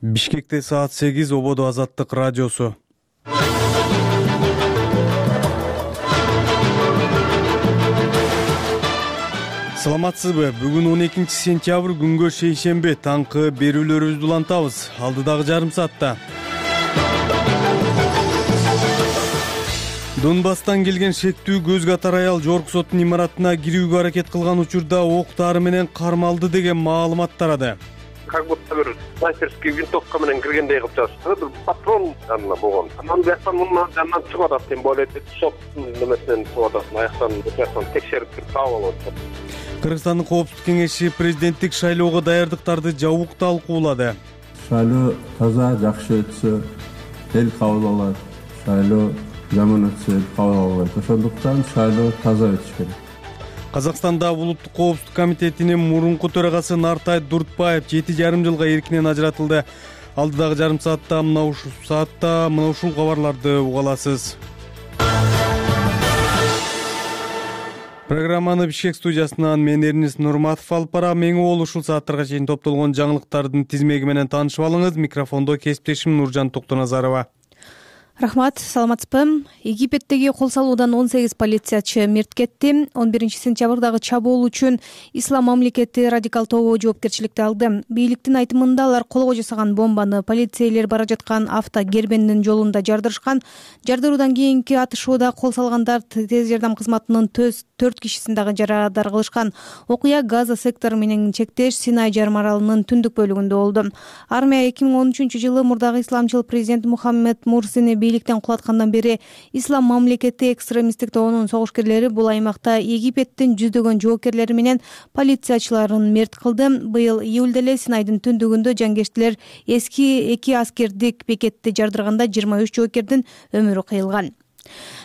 Бишкекте саат 8 Ободо Азаттык радиосу. Саламатсызбы? Бүгүн 12 сентябрь күнгө шейшембе таңкы берүүлөрүбүздү улантабыз. Алдыдагы жарым саатта Донбасстан келген шектүү көз катар аял Жорк соттун имаратына кирүүгө аракет кылган учурда ок дары менен кармалды деген маалымат тарады. Как будто бир снайперский винтовка менен киргендей кылып жатышты. Бир патрон жанында болгон. Анан бияктан мындан жанынан чыгып атат, тем более соттун немесинен чыгып атат. Аяктан бияктан текшерип таап алып атат. Кыргызстандын коопсуздук кеңеши президенттик шайлоого даярдыктарды жабык талкуулады. Шайлоо таза, жакшы өтсө эл кабыл алат. Шайлоо жаман өтсө эл кабыл албайт. Ошондуктан шайлоо таза өтүш керек. Казакстанда Улуттук коопсуздук комитетинин мурунку төрагасы Нартай Дуртбаев 7,5 жылга эркинен ажыратылды. Алдыдагы жарым саатта мына ушул кабарларды уга аласыз. Программаны Бишкек студиясынан мен Эрнис Нурматов алып барам. Эң уол ушул сааттарга чейин топтолгон жаңылыктардын тизмеги менен таанышып алыңыз. Микрофондо кесиптешим Нуржан Токтоназарова. Рахмат, саламатсызбы? Египеттеги кол салуудан 18 полициячы мерт кетти. 11 сентябрдагы чабуул үчүн Ислам мамлекети радикал тобу жоопкерчиликти алды. Бийликтин айтымында алар колго жасаган бомбаны полицейлер бара жаткан авто кербендин жолунда жардырышкан. Жардыруудан кийинки атышууда кол салгандар тез жардам кызматынын 4 кишисин дагы жарадар кылышкан. Окуя Газа сектору менен чектеш Синай жарым аралынын түндүк бөлүгүндө болду. Армия 2013-жылы мурдагы исламчыл президент Мухаммед Мурсини бийликтен кулаткандан бери Ислам мамлекети экстремисттик тобунун согушкерлери бул аймакта Египеттин жүздөгөн жоокерлери менен полициячыларын мерт кылды. Быйыл июлда эле Синайдын түндүгүндө жангештилер эски 2 аскердик бекетти жардырганда 23 жоокердин өмүрү кыйылган.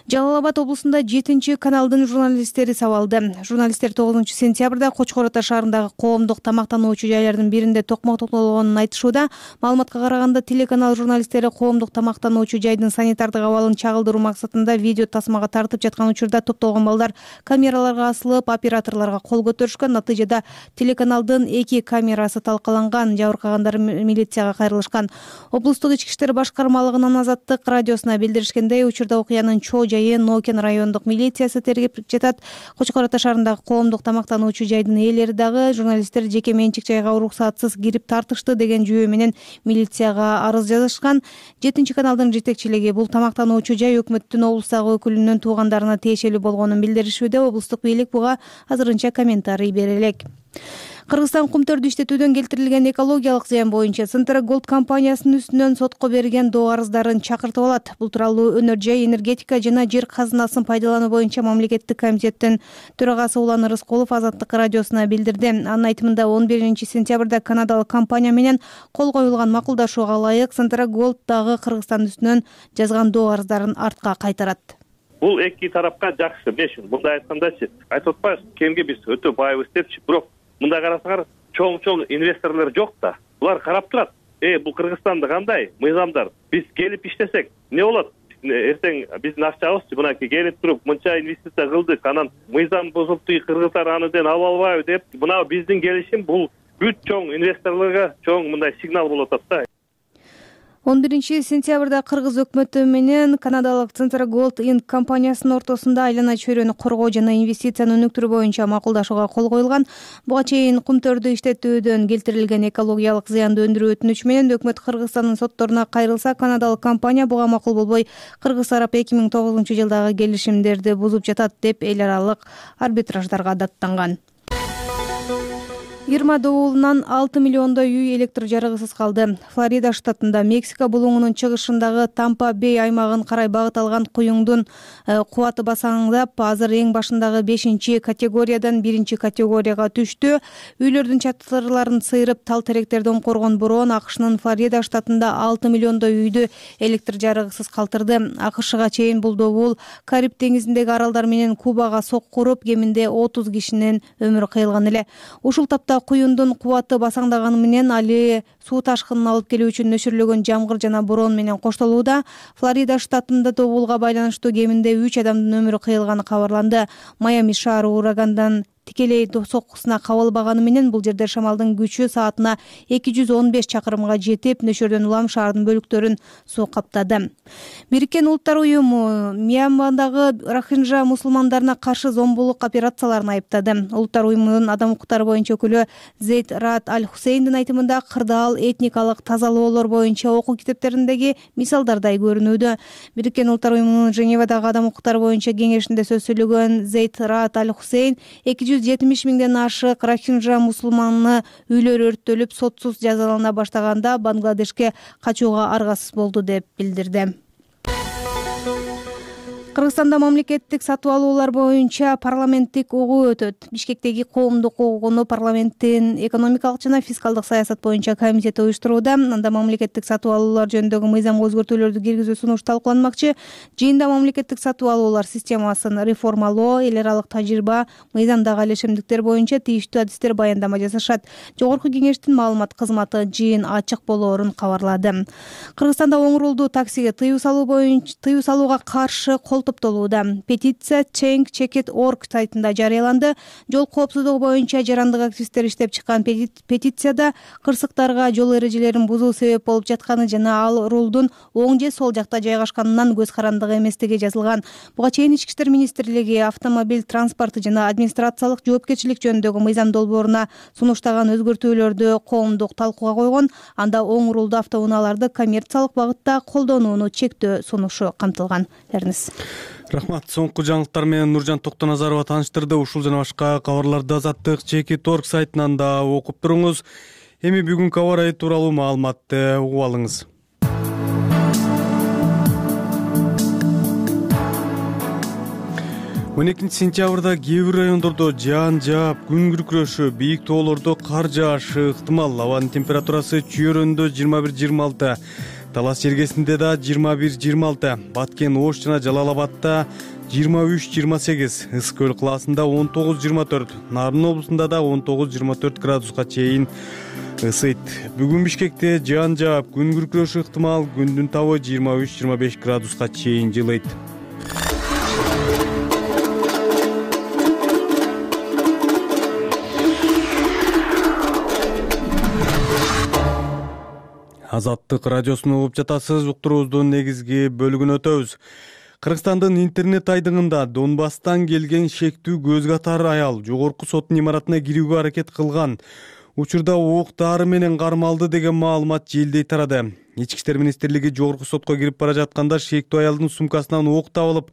Жалал-Абад облусунда 7-каналдын журналисттери сабалды. Журналисттер 9 сентябрда Кочкор Ата шаарындагы коомдук тамактануучу жайлардын биринде токмок токтолгонун айтышууда. Маалыматка караганда телеканал журналисттери коомдук тамактануучу жайдын санитардык абалын чагылдыруу максатында видео тасмага тартып жаткан учурда топтолгон балдар камераларга асылып, операторлорго кол көтөрүшкөн. Натыйжада телеканалдын 2 камерасы талкаланган. Жабыркагандар милицияга кайрылышкан. Облустук ички иштер башкармалыгынын Азаттык радиосуна билдиришкендей, учурда окуянын чоо жайы Нокен райондук милициясы тергеп жатат. Кочкор Ата шаарындагы коомдук тамактануучу жайдын ээлери дагы журналисттер жеке менчик жайга уруксатсыз кирип тартышты деген жүйө менен милицияга арыз жазышкан. 7-каналдын жетекчилиги бул тамактануучу жай өкмөттүн облустагы өкүлүнүн туугандарына тиешелүү болгонун билдиришүүдө. Облустук бийлик буга азырынча комментарий бере элек. Кыргызстан кумтөрдү иштетүүдөн келтирилген экологиялык зыян боюнча Центра Голд компаниясынын үстүнөн сотко берген доо арыздарын чакыртып алат. Бул тууралуу Өнөр жай, энергетика жана жер казынасын пайдалануу боюнча мамлекеттик комитеттин төрагасы Улан Рыскулов Азаттык радиосуна билдирди. Анын айтымында 11 сентябрда канадалык компания менен кол коюлган макулдашууга ылайык Центра Голд дагы Кыргызстан үстүнөн жазган доо арыздарын артка кайтарат. Бул эки тарапка жакшы. Мындай айткандачы, айтып атпайбыз, кемге биз өтө байбыз депчи, бирок мында карасаңар чоң инвесторлор жок да. Булар карап турат. Бул Кыргызстанда кандай мыйзамдар? Биз келип иштесек эмне болот? Эртең биздин акчабызчы мынакей келип туруп мынча инвестиция кылдык, анан мыйзам бузулупту, кыргыздар анын ала албайбы деп, мына биздин келишим бул бүт чоң инвесторлорго чоң мындай сигнал болуп атат да. 11 сентябрда Кыргыз өкмөтү менен канадалык Центра Голд Инк компаниясынын ортосунда айлана чөйрөнү коргоо жана инвестицияны өнүктүрүү боюнча макулдашууга кол коюлган. Буга чейин кумтөрдү иштетүүдөн келтирилген экологиялык зыянды өндүрүү өтүнүч менен өкмөт Кыргызстандын сотторуна кайрылса, канадалык компания буга макул болбой, Кыргыз тарап 2009-жылдагы келишимдерди бузуп жатат деп эл аралык арбитраждарга даттанган. Ирма доолунан 6 миллиондой үй электр жарыгысыз калды. Флорида штатында Мексика булуңунун чыгышындагы Тампа Бей аймагын карай багыт алган куюңдун кубаты басаңдап, азыр эң башындагы 5-категориядан 1-категорияга түштү. Үйлөрдүн чатырларын сыйрып, тал теректерден коргон бороон АКШнын Флорида штатында 6 миллиондой үйдү электр жарыгысыз калтырды. АКШга чейин бул доол Кариб деңизиндеги аралдар менен Кубага соккуруп, кеминде 30 кишинин өмүрү кыйылган эле. Ушул тапта куюндун кубаты басаңдаганы менен али суу ташкынын алып келүү үчүн нөшүрлөгөн жамгыр жана бороон менен коштолууда. Флорида штатында доолга байланыштуу кеминде 3 адамдын өмүрү кыйылганы кабарланды. Майами шаары урагандан тикелей соккусуна кабылбаганы менен бул жерде шамалдын күчү саатына 215 чакырымга жетип, нөшөрдөн улам шаардын бөлүктөрүн суу каптады. Бириккен Улуттар уюму Мьянмадагы рохинжа мусулмандарына каршы зомбулук операцияларын айыптады. Улуттар уюмунун адам укуктары боюнча өкүлү Зейд Раад Аль-Хусейндин айтымында кырдаал этникалык тазалоолор боюнча окуу китептериндеги мисалдардай көрүнүүдө. Бириккен Улуттар уюмунун Женевадагы адам укуктары боюнча кеңешинде сөз сөйлөгөн Зейд Раад Аль-Хусейн 270 миңден ашык рохинжа мусулманы үйлөрү өрттөлүп, сотсуз жазалана баштаганда Бангладешке качууга аргасыз болду деп билдирди. Кыргызстанда мамлекеттик сатып алуулар боюнча парламенттик угуу өтөт. Бишкектеги коомдук угууну парламенттин экономикалык жана фискалдык саясат боюнча комитети уюштурууда. Анда мамлекеттик сатып алуулар жөнүндөгү мыйзамга өзгөртүүлөрдү киргизүү сунушу талкууланмакчы. Жыйында мамлекеттик сатып алуулар системасын реформалоо, эл аралык тажрыйба, мыйзамдагы алешемдиктер боюнча тийиштүү адистер баяндама жасашат. Жогорку кеңештин маалымат кызматы жыйын ачык болоорун кабарлады. Кыргызстанда оңрулду таксиге тыюу салууга каршы топтолууда. Петиция change.org сайтында жарыяланды. Жол коопсуздугу боюнча жарандык активисттер иштеп чыккан петицияда кырсыктарга жол эрежелерин бузуу себеп болуп жатканы жана ал рулдун оң же сол жакта жайгашканынан көз карандыгы эместиги жазылган. Буга чейин Ички иштер министрлиги автомобиль транспорту жана администрациялык жоопкерчилик жөнүндөгү мыйзам долбооруна сунуштаган өзгөртүүлөрдү коомдук талкууга койгон. Анда оң рулду автоунааларды коммерциялык багытта колдонууну чектөө сунушу камтылган. Рахмат. Соңку жаңылыктар менен Нуржан Токтоназарова тааныштырды. Ушул жана башка кабарларды Азаттык Чекит.org сайтынан да окуп туруңуз. Эми бүгүнкү аба ырайы тууралуу маалыматты угуп алыңыз. 12 сентябрда кээ бир райондордо жаан жаап, күн күркүрөшү, бийик тоолордо кар жаашы ыктымал. Абанын температурасы Чүйөрөндө 21-26, Талас жергесинде да 21-26, Баткен, Ош жана Жалал Абадта 23-28, Ысык Көл кылаасында 19-24, Нарын облусунда да 19-24 градуска чейин ысыйт. Бүгүн Бишкекте жаан жаап, күн күркүрөшү ыктымал, күндүн табы 23-25 градуска чейин жылыйт. Азаттык радиосуну угуп жатасыз. Уктуруубуздун негизги бөлүгүн өтөбүз. Кыргызстандын интернет айдыңында Донбасстан келген шектүү көз катар аял жогорку соттун имаратына кирүүгө аракет кылган. Учурда ок дары менен кармалды деген маалымат желдей тарады. Ички иштер министрлиги жогорку сотко кирип бара жатканда шектүү аялдын сумкасынан ок табылып,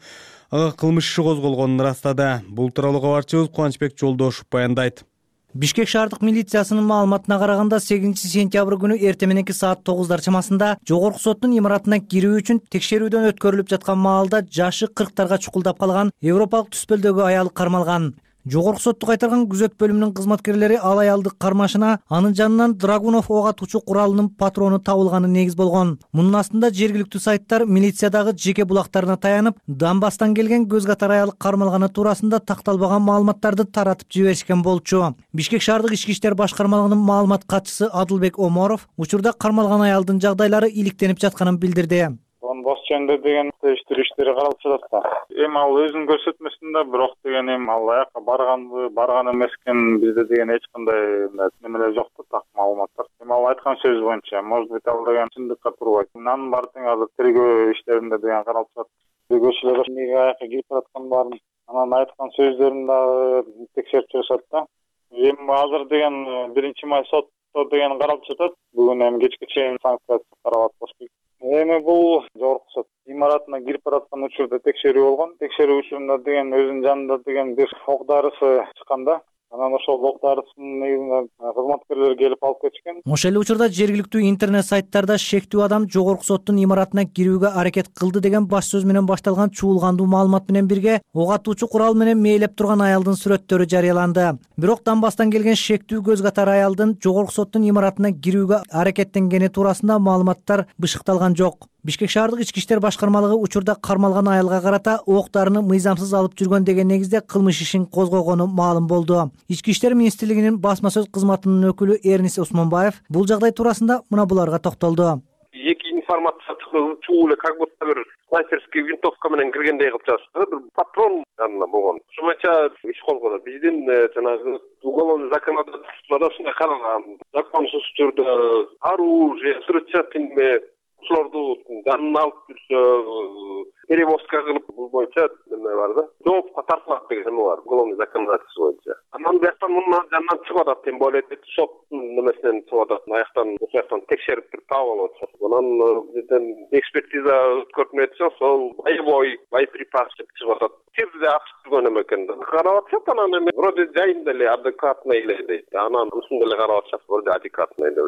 ага кылмыш иши козголгонун ырастады. Бул тууралуу кабарчыбыз Кубанычбек Жолдошов баяндайт. Бишкек шаардык милициясынын маалыматына караганда 8 сентябрь күнү эртең мененки саат 9 чамасында жогорку соттун имаратына кирүү үчүн текшерүүдөн өткөрүлүп жаткан маалда жашы 40-тарга чукулдап калган европалык түспөлдөгү аял кармалган. Жогорку сотту кайтарган күзөт бөлүмүнүн кызматкерлери ал аялды кармашына анын жанынан Драгунов ок атуучу куралынын патрону табылганы негиз болгон. Мунун астында жергиликтүү сайттар милициядагы жеке булактарына таянып, Донбасстан келген көз катар аял кармалганы туурасында такталбаган маалыматтарды таратып жиберишкен болчу. Бишкек шаардык ички иштер башкармалыгынын маалымат катчысы Адылбек Оморов учурда кармалган аялдын жагдайлары иликтенип жатканын билдирди. Донбасс жөнүндө деген териштирүү каралып жатат. Эми ал өзүн көрсөтмөсүн да, бирок деген эми ал аяка барган эмескен, бизде деген эч кандай немелер жок да, так маалыматтар. Эми ал айткан сөз боюнча, может быть, ал деген чындыкка турбайт. Анын баары тең азыр тергөө иштеринде деген каралып жатат. Тергөөчүлөр эмнеге аяка кирип бараткан баарын, анан айткан сөздөрүн дагы текшерип жатат да. Эми азыр деген 1-май сотто деген каралып жатат. Бүгүн эми кечке чейин санкция каралат болчу. Эми бул жогорку сот имаратына кирип бараткан учурда текшерүү болгон. Текшерүү учурунда деген өзүнүн жанында деген бир ок дарысы чыкканда, анан ошол ок дарысын негизинен кызматкерлер келип алып кетишкен. Ошол эле учурда жергиликтүү интернет сайттарда шектүү адам жогорку соттун имаратына кирүүгө аракет кылды деген баш сөз менен башталган чуулгандуу маалымат менен бирге ок атуучу курал менен мээлеп турган аялдын сүрөттөрү жарыяланды. Бирок Донбасстан келген шектүү көз катар аялдын жогорку соттун имаратына кирүүгө аракеттенгени туурасында маалыматтар бышыкталган жок. Бишкек шаардык ички иштер башкармалыгы учурда кармалган аялга карата ок дарыны мыйзамсыз алып жүргөн деген негизде кылмыш ишин козгогону маалым болду. Ички иштер министрлигинин басма сөз кызматынын өкүлү Эрнис Усманбаев бул жагдай туурасында мына буларга токтолду. 2 информация чуу эле как будто бир снайперский винтовка менен киргендей кылып жатышты. Бир патрон янында болгон. Ошо боюнча иш козгоду. Биздин жанагы уголовный законодательствода ушундай каралган. Законсуз түрдө оружие, взрывчатка ушуларды жанына алып жүрсө, перевозка кылып бул боюнча неме бар да. Жоопко тартылат деген неме бар. Уголовный законодательство боюнча. Анан бияктан мунун жанынан чыгып атат, тем более соттун немесинен чыгып атат. Аяктан ошояктан текшерип туруп таап алып атышат. Анан бизden экспертиза өткөрүлүп атса, сол боеприпас чыгып атат. Тирде ачык жүргөн эме экен. Карап атышат, анан эме вроде жайында эле адекватный эле дейт. Анан ушундай эле карап атышат, вроде адекватный эле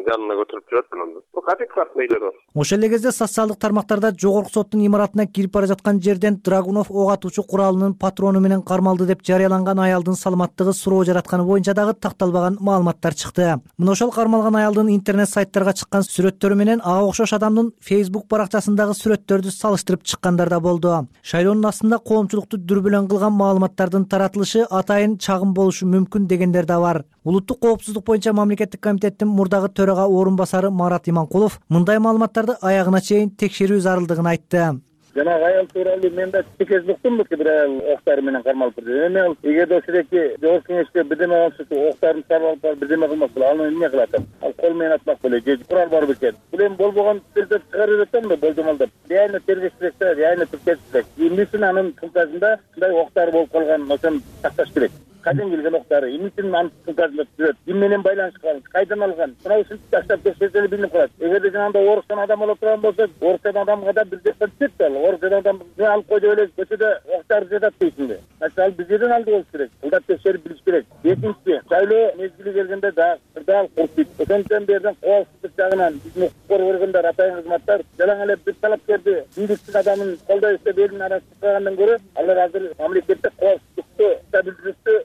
жанына көтөрүп жүрөт анан. Адекватный эле. Ошол эле кезде социалдык тармактарда жогорку соттун имаратына кирип бара жаткан жерден Драгунов ок атуучу куралынын патрону менен кармалды деп жарыяланган аялдын саламаттыгы суроо жаратканы боюнча дагы такталбаган маалыматтар чыкты. Мына ошол кармалган аялдын интернет сайттарга чыккан сүрөттөрү менен ага окшош адамдын Facebook баракчасындагы сүрөттөрдү салыштырып чыккандар да болду. Шайлоонун астында коомчулукту дүрбөлөң кылган маалыматтардын таратылышы атайын чагым болушу мүмкүн дегендер да бар. Улуттук коопсуздук боюнча мамлекеттик комитеттин мурдагы төрага орун басары Марат Иманкулов мындай маалыматтарды аягына чейин текшерүү зарылдыгын айтты. Жанагы аял тууралуу мен да текерип уктум, бир аял октары менен кармалып турду. Эми ал эгерде ошондойки жогорку кеңешке бирдеме болсо, октарын саралап барып бирдеме кылмак боло, аны эмне кылат? Ал кол менен атмак беле, же курал бар бекен. Бул эми болбогон жерде чыгарып жатамбы, болжомолдоп. Реально тергеш керек да, реально тергеш керек. Эмне үчүн анын сумкасында мындай октар болуп калган, ошону такташ керек. Кайдан келген октары, эмне үчүн анын сумкасында жүрөт? Ким менен байланышкан? Кайдан алган? Мына ушинтип таштап текшерсе эле билинип калат. Эгерде жанагындай орустан адам боло турган болсо, орустан адамга да бир жактан түшөт да. Орустан адам алып койду эле көчөдө октар жатат дейсиңби? Ал биз жерден алды болуш керек. Булда текшерип билиш керек. Экинчиси, шайлоо мезгили келгенде дагы курсуйт. Ошондон берден коопсуздук жагынан биздин укук коргоо органдары, атайын кызматтар жалаң эле бир талапкерди бийликтин адамын колдой иштеп элин арасына чыгагандан көрө, алар азыр мамлекетте коопсуздукту стабилдүүлүктү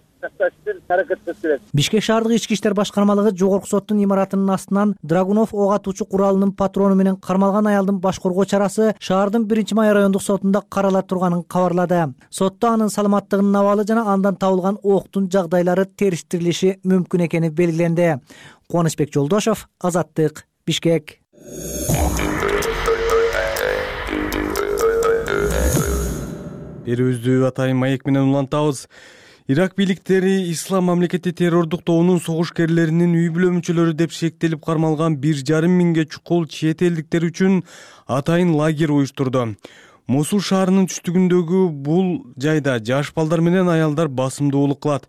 Бишкек шаардык ички иштер башкармалыгы жогорку соттун имаратынын астынан Драгунов ок атуучу куралынын патрону менен кармалган аялдын баш коргоо чарасы шаардын 1-Май райондук сотунда карала турганын кабарлады. Сотто анын саламаттыгынын абалы жана андан табылган октун жагдайлары териштирилиши мүмкүн экени белгиленди. Кубанычбек Жолдошов, Азаттык, Бишкек. Берүүбүздү атайын маек менен улантабыз. Ирак бийликтери Ислам мамлекети террордук тобунун согушкерлеринин үй бүлө мүчөлөрү деп шектелип кармалган 1,5 миңге чукул чет элдиктер үчүн атайын лагерь уюштурду. Мусул шаарынын түштүгүндөгү бул жайда жаш балдар менен аялдар басымдуулук кылат.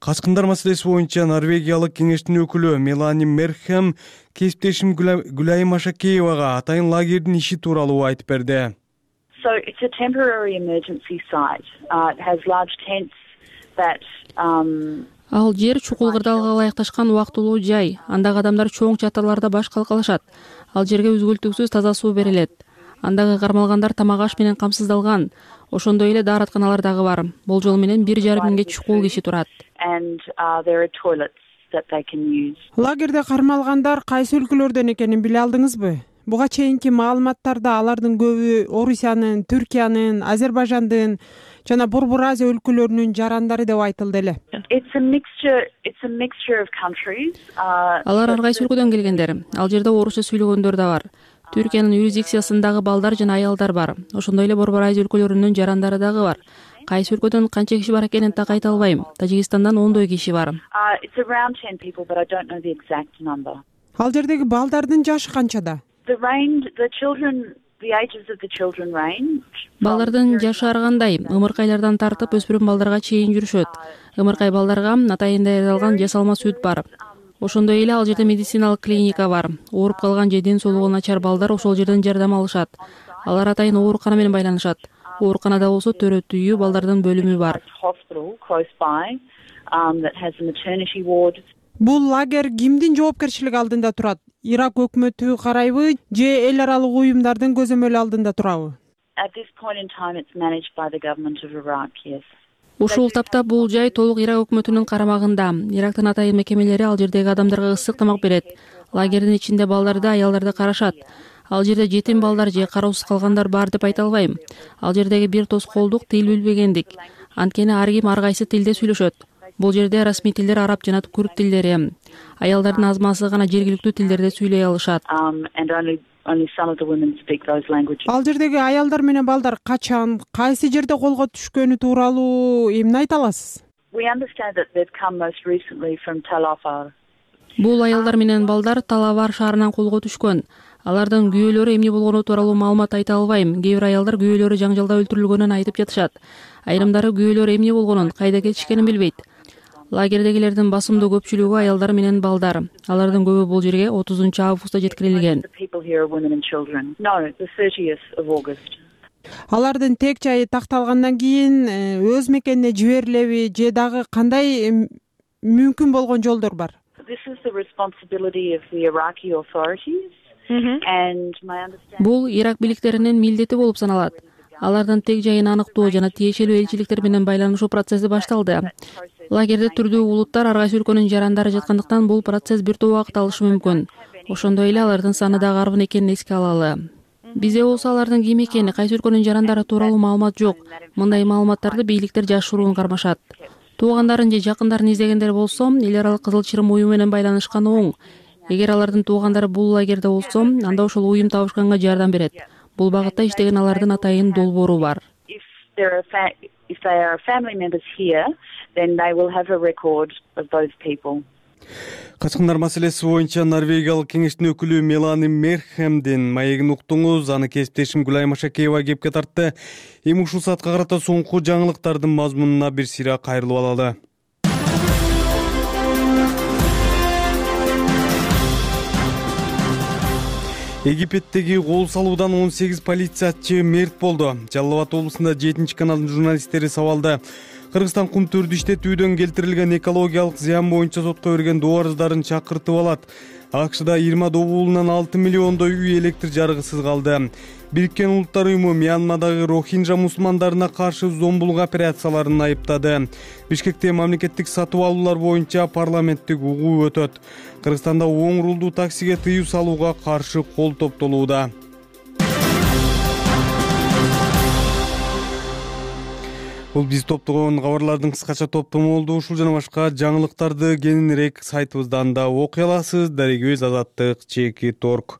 Качкындар маселеси боюнча Норвегиялык кеңештин өкүлү Мелани Мерхем кесиптешим Гүлайым Ашакеевага атайын лагердин иши тууралуу айтып берди. So it's a temporary emergency site. It has large tents. Ал жер чукул кырдаалга ылайыкташкан убактылуу жай. Андагы адамдар чоң чатырларда баш калкалашат. Ал жерге үзгүлтүксүз таза суу берилет. Андагы кармалгандар тамак аш менен камсыздалган. Ошондой эле дааратканалар дагы бар. Болжол менен 1,5 миңге чукул киши турат. Лагерде кармалгандар кайсы өлкөлөрдөн экенин биле алдыңызбы? Буга чейинки маалыматтарда алардын көбү Орусиянын, Түркиянын, Азербайжандын жана Борбор Азия өлкөлөрүнүн жарандары деп айтылды эле. Алар ар кайсы өлкөдөн келгендер. Ал жерде орусча сүйлөгөндөр да бар. Түркиянын юрисдикциясындагы балдар жана аялдар бар. Ошондой эле Борбор Азия өлкөлөрүнүн жарандары дагы бар. Кайсы өлкөдөн канча киши бар экенин так айта албайм. Тажикстандан 10 киши бар. Ал жердеги балдардын жашы канчада? Балдардын жашы ар кандай, ымыркайлардан тартып өспүрүм балдарга чейин жүрүшөт. Ымыркай балдарга атайын даярдалган жасалма сүт бар. Ошондой эле ал жерде медициналык клиника бар. Ооруп калган же ден соолугу начар балдар ошол жерден жардам алышат. Алар атайын оорукана менен байланышат. Ооруканада болсо төрөт үйү, балдардын бөлүмү бар. Бул лагерь кимдин жоопкерчилиги алдында турат? Ирак өкмөтү карайбы же эл аралык уюмдардын көзөмөлү алдында турабы? Ушул тапта бул жай толук Ирак өкмөтүнүн карамагында. Ирактын атайын мекемелери ал жердеги адамдарга ысык тамак берет. Лагердин ичинде балдарды, аялдарды карашат. Ал жерде жетим балдар же кароосуз калгандар бар деп айта албайм. Ал жердеги бир тоскоолдук тил билбегендик. Анткени ар ким ар кайсы тилде сүйлөшөт. Бул жерде расмий тилдер араб жана күрд тилдери. Аялдардын азмасы гана жергиликтүү тилдерде сүйлөй алышат. Ал жердеги аялдар менен балдар качан, кайсы жерде колго түшкөнү тууралуу эмне айта аласыз? Бул аялдар менен балдар Талавар шаарынан колго түшкөн. Алардын күйөөлөрү эмне болгону тууралуу маалымат айта албайм. Кээ бир аялдар күйөөлөрү жаңжалда өлтүрүлгөнүн айтып жатышат. Айрымдары күйөөлөрү эмне болгонун, кайда кетишкенин билбейт. Лагердегилердин басымдуу көпчүлүгү аялдар менен балдар. Алардын көбү бул жерге 30 августта жеткирилген. Алардын тек жайы такталгандан кийин өз мекенине жиберилеби же дагы кандай мүмкүн болгон жолдор бар? Бул Ирак бийликтеринин милдети болуп саналат. Алардын тек жайын аныктоо жана тиешелүү элчиликтер менен байланышуу процесси башталды. Лагерде түрдүү улуттар, ар кайсы өлкөнүн жарандары жаткандыктан бул процесс бир топ убакыт алышы мүмкүн. Ошондой эле алардын саны дагы арбын экенин эске алалы. Бизде болсо алардын ким экени, кайсы өлкөнүн жарандары тууралуу маалымат жок. Мындай маалыматтарды бийликтер жашыруун кармашат. Туугандарын же жакындарын издегендер болсо, эл аралык Кызыл Чырым уюму менен байланышканы оң. Эгер алардын туугандары бул лагерде болсо, анда ошол уюм табышканга жардам берет. Бул багытта иштеген алардын атайын долбоору бар. Качкындар маселеси боюнча Норвегиялык кеңештин өкүлү Мелани Мерхемдин маегин уктуңуз. Аны кесиптешим Гүлай Машакеева кепке тартты. Эми ушул саатка карата соңку жаңылыктардын мазмунуна бир сыйра кайрылып алалы. Египеттеги кол салуудан 18 полициячы мерт болду. Жалал Абад облусунда 7-каналдын журналисттери сабалды. Кыргызстан кум төрдү иштетүүдөн келтирилген экологиялык зыян боюнча сотко берген доо арыздарын чакыртып алат. АКШда 20 добуулунан 6 миллиондой үй электр жарыгысыз калды. Бириккен Улуттар уюму Мьянмадагы рохинжа мусулмандарына каршы зомбулук операцияларын айыптады. Бишкекте мамлекеттик сатып алуулар боюнча парламенттик угуу өтөт. Кыргызстанда оң рулдуу таксиге тыюу салууга каршы кол топтолууда. Бул биз топтогон кабарлардын кыскача топтому болду. Ушул жана башка жаңылыктарды кененирээк сайтыбыздан да окуй аласыз. Дарегөз Азаттык /Торг.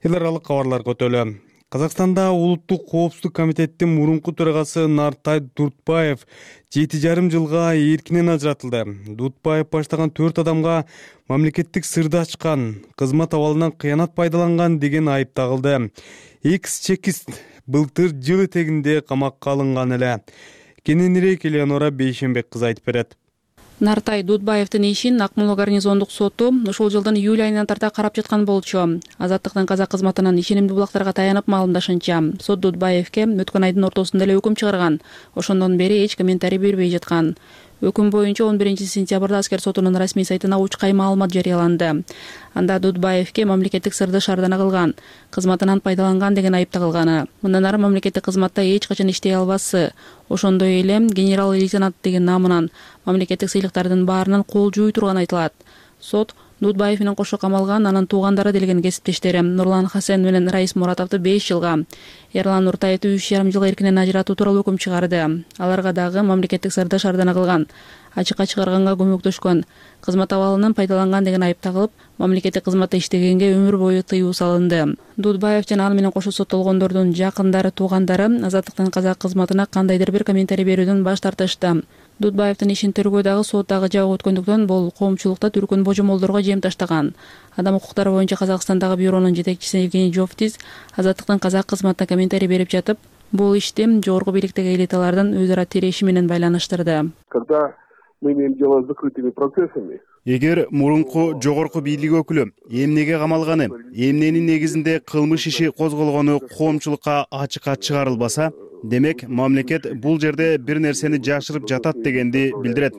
Эл аралык кабарларга өтөлү. Казакстанда Улуттук коопсуздук комитеттин мурунку төрагасы Нартай Дуртбаев 7,5 жылга эркинен ажыратылды. Дуртбаев баштаган 4 адамга мамлекеттик сырды ачкан, кызмат абалынан кыянат пайдаланган деген айып тагылды. Экс-чекист былтыр жыл этегинде камакка алынган эле. Кененирээк Элеонора Бейшенбек кызы айтып берет. Нартай Дудбаевдин ишин Акмола гарнизондук соту ушул жылдын июль айынан тарта карап жаткан болчу. Азаттыктын казак кызматынан ишенимдүү булактарга таянып маалымдашынча, сот Дудбаевке өткөн айдын ортосунда эле өкүм чыгарган. Ошондон бери эч комментарий бербей жаткан. Өкүм боюнча 11-сентябрда аскер сотунун расмий сайтына учкай маалымат жарыяланды. Анда Дудбаевке мамлекеттик сырды шаардана кылган, кызматынан пайдаланган деген айып тагылганы. Мындан ары мамлекеттик кызматта эч качан иштей албасы, ошондой эле генерал-лейтенант деген намынан мамлекеттик сыйлыктардын баарынан кол жууй турганы айтылат. Сот Дудбаев менен кошо камалган анын туугандары делген кесиптештери Нурлан Хасен менен Раис Муратовду 5 жылга, Эрлан Нуртаевду 3,5 жылга эркинен ажыратуу тууралуу өкүм чыгарды. Аларга дагы мамлекеттик сырды шаардана кылган, ачыкка чыгарганга көмөктөшкөн, кызмат абалынан пайдаланган деген айып тагылып, мамлекеттик кызматта иштегенге өмүр бою тыюу салынды. Дудбаев жана ал менен кошо соттолгондордун жакындары, туугандары Азаттыктын казак кызматына кандайдыр бир комментарий берүүдөн баш тартышты. Дудбаевдин ишин тергөөдөгү соттагы жабык өткөндүктөн бул коомчулукта түркүн божомолдорго жем таштаган. Адам укуктары боюнча Казакстандагы бюронун жетекчиси Евгений Жовтис Азаттыктын казак кызматына комментарий берип жатып, бул ишти жогорку бийликтеги элиталардын өз ара тиреши менен байланыштырды. Когда мы имеем дело с закрытыми процессами, эгер мурунку жогорку бийлик өкүлү эмнеге камалганы, эмненин негизинде кылмыш иши козголгону коомчулукка ачыкка чыгарылбаса, демек мамлекет бул жерде бир нерсени жашырып жатат дегенди билдирет.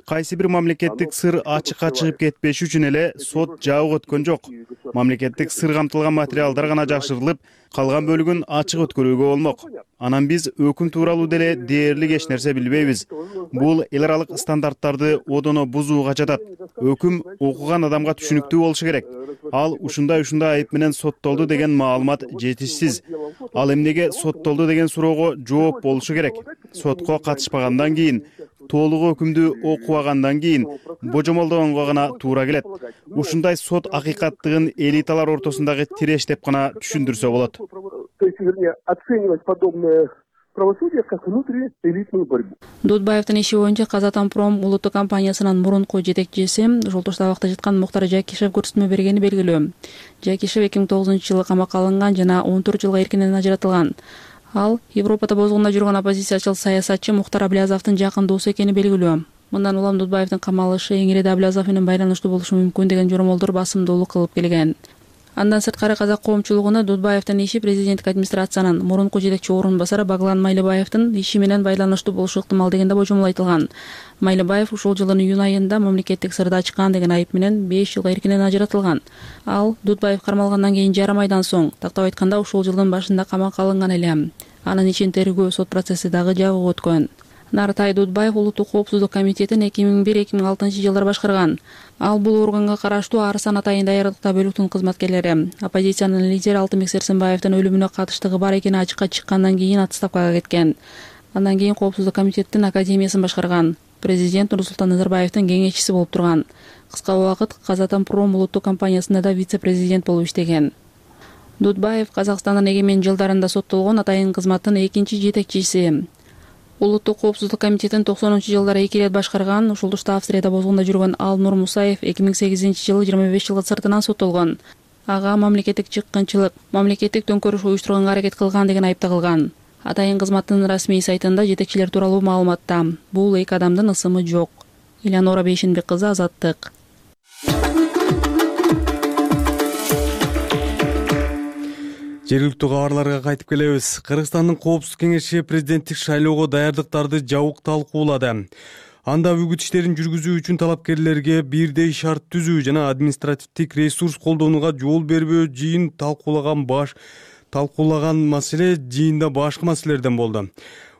Кайсы бир мамлекеттик сыр ачыкка чыгып кетпеш үчүн эле сот жабык өткөн жок. Мамлекеттик сыр камтылган материалдар гана жашырылып, калган бөлүгүн ачык өткөрүүгө болмок. Анан биз өкүм тууралуу деле дээрлик эч нерсе билбейбиз. Бул эл аралык стандарттарды одоно бузууга жатат. Өкүм окуган адамга түшүнүктүү болушу керек. Ал ушундай айып менен соттолду деген маалымат жетишсиз. Ал эмнеге соттолду деген суроого жооп болушу керек. Сотко катышпагандан кийин толук өкүмдү окубагандан кийин божомолдогонго гана туура келет. Ушундай сот акыйкаттыгын элиталар ортосундагы тиреш деп гана түшүндүрсө болот. То есть, вернее, оценивать подобное правосудие как внутриэлитную борьбу. Дудбаевдин иши боюнча Казатомпром улуттук компаниясынын мурунку жетекчиси Жолтош абакта жаткан Муктар Жакишев көрсөтмө бергени белгилүү. Жакишев 2009-жылы камакка алынган жана 14 жылга эркинен ажыратылган. Ал Европада бозгунда жүргөн оппозициячыл саясатчы Мухтар Аблязовдун жакын досу экени белгилүү. Мындан улам Дудбаевдин камалышы эңиреде Аблязов менен байланыштуу болушу мүмкүн деген жоромолдор басымдуулук кылып келген. Андан сырткары казак коомчулугуна Дудбаевдин иши президенттик администрациянын мурунку жетекчи орун басары Баглан Майлыбаевдин иши менен байланыштуу болушу ыктымал деген да божомол айтылган. Майлыбаев ушул жылдын июнь айында мамлекеттик сырды ачкан деген айып менен 5 жылга эркинен ажыратылган. Ал Дудбаев кармалгандан кийин жарым айдан соң, тактап айтканда ушул жылдын башында камакка алынган эле. Анын ичин тергөө сот процесси дагы жабык өткөн. Нартай Дудбаев Улуттук коопсуздук комитетин 2001-2006 жылдары башкарган. Ал бул органга караштуу Арсан атайын даярдыкта бөлүктүн кызматкерлери. Оппозициянын лидери Алтынбек Серсенбаевдин өлүмүнө катыштыгы бар экени ачыкка чыккандан кийин отставкага кеткен. Андан кийин коопсуздук комитеттин академиясын башкарган. Президент Нурсултан Назарбаевдин кеңешчиси болуп турган. Кыска убакыт Казатомпром улуттук компаниясында да вице-президент болуп иштеген. Дудбаев Казакстандын эгемен жылдарында соттолгон атайын кызматтын экинчи жетекчиси. Улуттук коопсуздук комитетин 90-жылдары 2 рет башкарган, ушул тушта Австрияда бозгунда жүргөн Алнур Мусаев 2008-жылы 25 жылга сыртынан соттолгон. Ага мамлекеттик чыккынчылык, мамлекеттик төңкөрүш уюштурганга аракет кылган деген айып тагылган. Атайын кызматтын расмий сайтында жетекчилер тууралуу маалыматта бул эки адамдын ысымы жок. Элеонора Бейшенбек кызы, Азаттык. Жергиликтүү кабарларга кайтып келебиз. Кыргызстандын Коопсуздук кеңеши президенттик шайлоого даярдыктарды жабык талкуулады. Анда үгүт иштерин жүргүзүү үчүн талапкерлерге бирдей шарт түзүү жана административдик ресурс колдонууга жол бербөө жыйын талкуулаган маселе жыйында башкы маселелерден болду.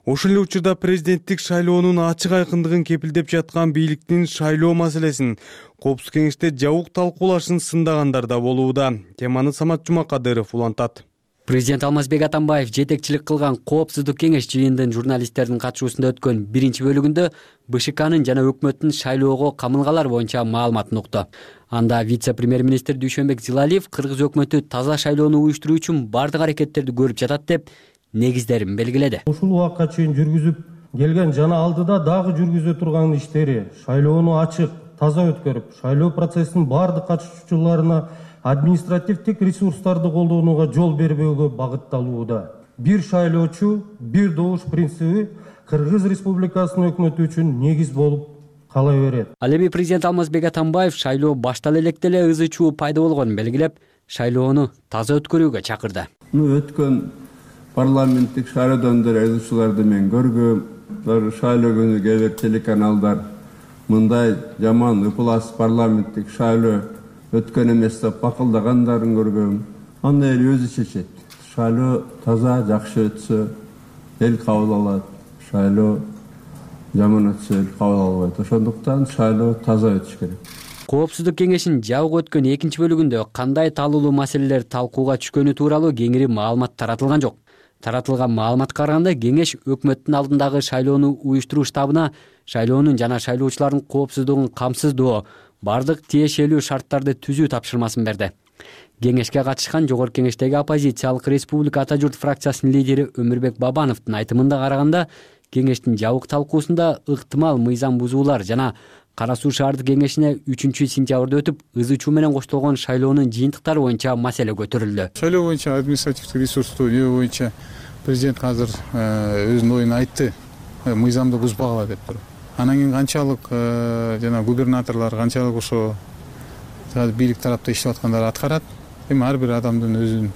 Ошол эле учурда президенттик шайлоонун ачык айкындыгын кепилдеп жаткан бийликтин шайлоо маселесин Коопсуздук кеңеште жабык талкуулашын сындагандар да болууда. Теманы Самат Жумакадыров улантат. Президент Алмазбек Атамбаев жетекчилик кылган Коопсуздук кеңеш жыйындын журналисттердин катышуусунда өткөн биринчи бөлүгүндө БШКнын жана өкмөттүн шайлоого камылгалар боюнча маалыматын укту. Анда вице-премьер-министр Дүйшөнбек Зилалиев кыргыз өкмөтү таза шайлоону уюштуруу үчүн бардык аракеттерди көрүп жатат деп негиздерин белгиледи. Ушул убакка чейин жүргүзүп келген жана алдыда дагы жүргүзө турган иштери шайлоону ачык, таза өткөрүп, шайлоо процессинин бардык катышуучуларына административдик ресурстарды колдонууга жол бербөөгө багытталууда. Бир шайлоочу, бир добуш принциби Кыргыз Республикасынын өкмөтү үчүн негиз болуп кала берет. Ал эми президент Алмазбек Атамбаев шайлоо баштала электе эле ызы чуу пайда болгонун белгилеп, шайлоону таза өткөрүүгө чакырды. Өткөн парламенттик шайлоодон деле ызычууларды мен көргөм. Шайлоо күнү кээ бир телеканалдар мындай жаман ыплас парламенттик шайлоо өткөн эмес деп бакылдагандарын көргөм. Аны эл өзү чечет. Шайлоо таза жакшы өтсө эл кабыл алат. Шайлоо жаман өтсө эл кабыл албайт. Ошондуктан шайлоо таза өтүш керек. Коопсуздук кеңешинин жабык өткөн экинчи бөлүгүндө кандай талуулуу маселелер талкууга түшкөнү тууралуу кеңири маалымат таратылган жок. Таратылган маалыматка караганда кеңеш өкмөттүн алдындагы шайлоону уюштуруу штабына шайлоонун жана шайлоочулардын коопсуздугун камсыздоо, бардык тиешелүү шарттарды түзүү тапшырмасын берди. Кеңешке катышкан жогорку кеңештеги оппозициялык Республика Ата журт фракциясынын лидери Өмүрбек Бабановдун айтымында караганда, кеңештин жабык талкуусунда ыктымал мыйзам бузуулар жана Кара Суу шаардык кеңешине 3-сентябрда өтүп, ызы чуу менен коштолгон шайлоонун жыйынтыктары боюнча маселе көтөрүлдү. Шайлоо боюнча административдик ресурсту боюнча президент азыр өзүнүн оюн айтты. Мыйзамды бузбагыла деп туруп. Анан кийин канчалык жана губернаторлор канчалык ошо бийлик тарапта иштеп аткандар аткарат. Эми ар бир адамдын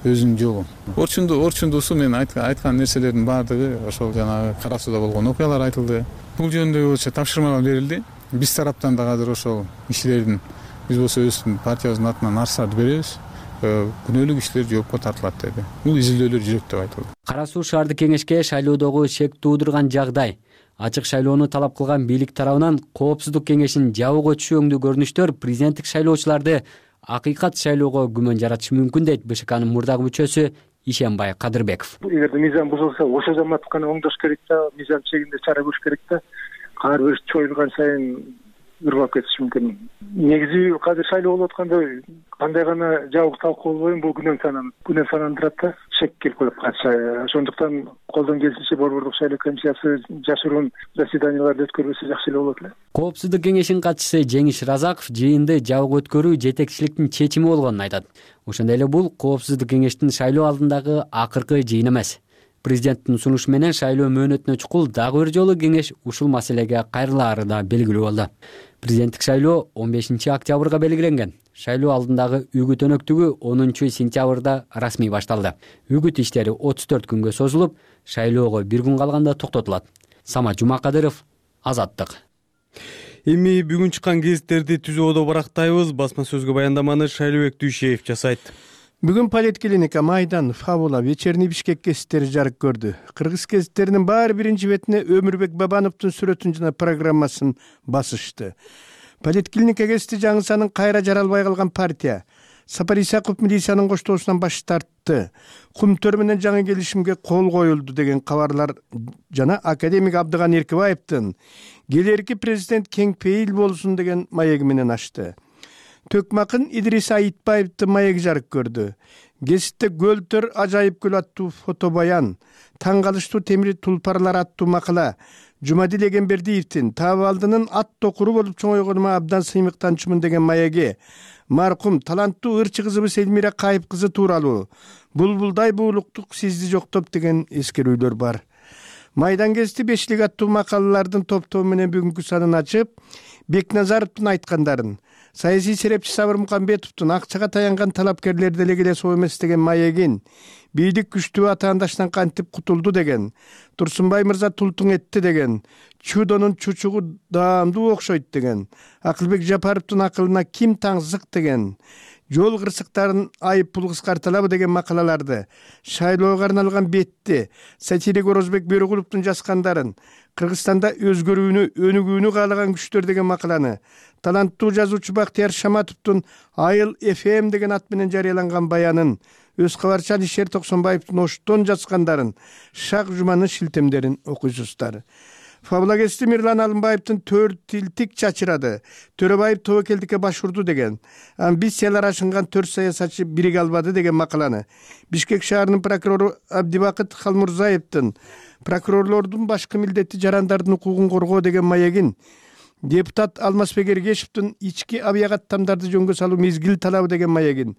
өзүнүн жолу. Орчундуусу мен айткан нерселердин баардыгы ошол жанагы Кара Сууда болгон окуялар айтылды. Бул жөнүндө болчу тапшырмалар берилди. Биз тараптан да азыр ошол иштердин биз болсо өздүн партиябыздын атынан арыздарды беребиз. Күнөөлүк иштер жоопко тартылат деди. Бул изилдөөлөр жүрөт деп айтылды. Кара Суу шаардык кеңешке шайлоодогу шек туудурган жагдай, ачык шайлоону талап кылган бийлик тарабынан Коопсуздук кеңешинин жабык өтүшү өңдүү көрүнүштөр президенттик шайлоочуларды акыйкат шайлоого күмөн жаратышы мүмкүн дейт БШКнын мурдагы мүчөсү Ишенбай Кадырбеков. Эгерде мыйзам бузулса, ошол замат гана оңдош керек да, мыйзам чегинде чара көрүш керек да. ар бир чоюлган сайын ыргап кетиши мүмкүн. Негизи азыр шайлоо болуп атканда кандай гана жабык талкуу болбойбу, бул күнөө санандырат да, шек келип коет. Ошондуктан колдон келишинче Борбордук шайлоо комиссиясы жашыруун заседанияларды өткөрбөсө жакшы эле болот эле. Коопсуздук кеңешинин катчысы Жеңиш Разаков жыйынды жабык өткөрүү жетекчиликтин чечими болгонун айтат. Ошондой эле бул Коопсуздук кеңештин шайлоо алдындагы акыркы жыйын эмес. Президенттин сунушу менен шайлоо мөөнөтүнө чукул дагы бир жолу кеңеш ушул маселеге кайрылаары да белгилүү болду. Президенттик шайлоо 15 октябрга белгиленген. Шайлоо алдындагы үгүт өнөктүгү 10 сентябрда расмий башталды. Үгүт иштери 34 күнгө созулуп, шайлоого бир күн калганда токтотулат. Самат Жумакадыров, Азаттык. Эми бүгүн чыккан гезиттерди түзүүдө барактайбыз. Басма сөзгө баяндаманы Шайлообек Дүйшеев жасайт. Бүгүн Политклиника, Майдан, Фабула, Вечерний Бишкек гезиттери жарык көрдү. Кыргыз гезиттеринин баары биринчи бетине Өмүрбек Бабановдун сүрөтүн жана программасын басышты. Политклиника гезити жаңысанын кайра жаралбай калган партия. Сапар Исаков милициянын коштоосунан баш тартты. Кумтөр менен жаңы келишимге кол коюлду деген кабарлар жана академик Абдыган Эркебаевдин келерки президент кең пейил болсун деген маеги менен ачты. Төкмакын Идрис Айтбаевдин маеги жарык көрдү. Гезитте Гөлтөр ажайып гүл аттуу фотобаян, таң калыштуу темир тулпарлар аттуу макала, Жумадил Эгембердиевдин Таабалдынын ат токуру болуп чоңойгонума абдан сыймыктанчумун деген маеги, маркум таланттуу ырчы кызыбыз Элмира Кайып кызы тууралуу, булбулдай буулуктук сизди жоктоп деген эскерүүлөр бар. Майдан гезити бешлик аттуу макалалардын топтобу менен бүгүнкү санын ачып, Бекназаровдун айткандарын, саясий серепчи Сабыр Мукамбетовдун акчага таянган талапкерлер деле келе соо эмес деген маегин, бийлик күчтүү атаандаштан кантип кутулду деген, Турсунбай мырза тултуң этти деген, чудонун чучугу даамдуу окшойт деген, Акылбек Жапаровдун акылына ким таңсык деген, жол кырсыктарын айып пул кыскарталабы деген макалаларды, шайлоого арналган бетти, сатирик Орозбек Бөрөгуловдун жазгандарын, Кыргызстанда өзгөрүүнү, өнүгүүнү каалаган күчтөр деген макаланы, таланттуу жазуучу Бактияр Шаматовдун Айыл FM деген ат менен жарыяланган баянын, өз кабарчан Ишер Токсонбаевдин Оштон жазгандарын, Шак Жуманын шилтемдерин окуйсуздар. Фабула гезити Мирлан Алымбаевдин төрт тилтик чачырады, Төрөбаев тобокелдикке башурду деген, амбициялар ашынган 4 саясатчы бириге албады деген макаланы, Бишкек шаарынын прокурору Абдибакыт Халмурзаевдин прокурорлордун башкы милдети жарандардын укугун коргоо деген маегин, депутат Алмазбек Эргешевдин ички абиягат тамдарды жөнгө салуу мезгил талабы деген маегин,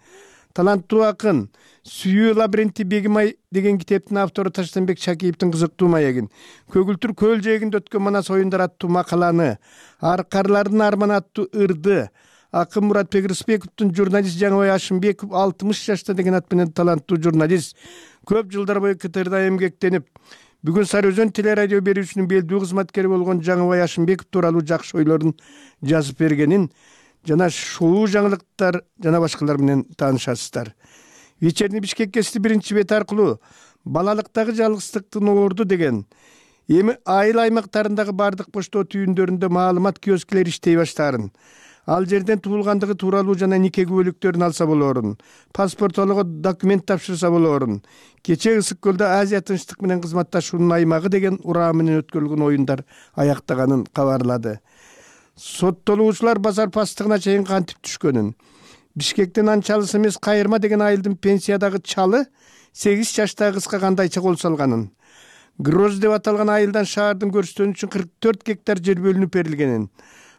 таланттуу акын Сүйүү лабиринти Бегимай деген китептин автору Таштанбек Шакиевдин кызыктуу маегин, Көгүлтүр көл жээгинде өткөн манас оюндар аттуу макаланы, Аркарлардын арманы аттуу ырды, акын Муратбек Рысбековдун журналист Жаңыбай Ашымбеков 60 жашта деген ат менен таланттуу журналист, көп жылдар бою КТРда эмгектенип, бүгүн Сары Өзөн телерадио берүүчүнүн белдүү кызматкери болгон Жаңыбай Ашымбеков тууралуу жакшы ойлорун жазып бергенин жана шоу жаңылыктар жана башкалар менен таанышасыздар. Вечерний Бишкек гезити биринчи бет аркылуу балалыктагы жалгыздыктын оорду деген, эми айыл аймактарындагы бардык поштоо түйүндөрүндө маалымат киоскилери иштей баштаарын, ал жерден туулгандыгы тууралуу жана нике күбөлүктөрүн алса болоорун, паспорт алууга документ тапшырса болоорун, кечээ Ысык көлдө Азия тынчтык менен кызматташуунун аймагы деген ураа менен өткөрүлгөн оюндар аяктаганын кабарлады. Соттолуучулар базар пастыгына чейин кантип түшкөнүн, Бишкектен анчалыс эмес Кайырма деген айылдын пенсиядагы чалы 8 жаштагы кызга кандайча кол салганын, Гроз деп аталган айылдан шаардын көрсөтүүнү үчүн 44 гектар жер бөлүнүп берилгенин,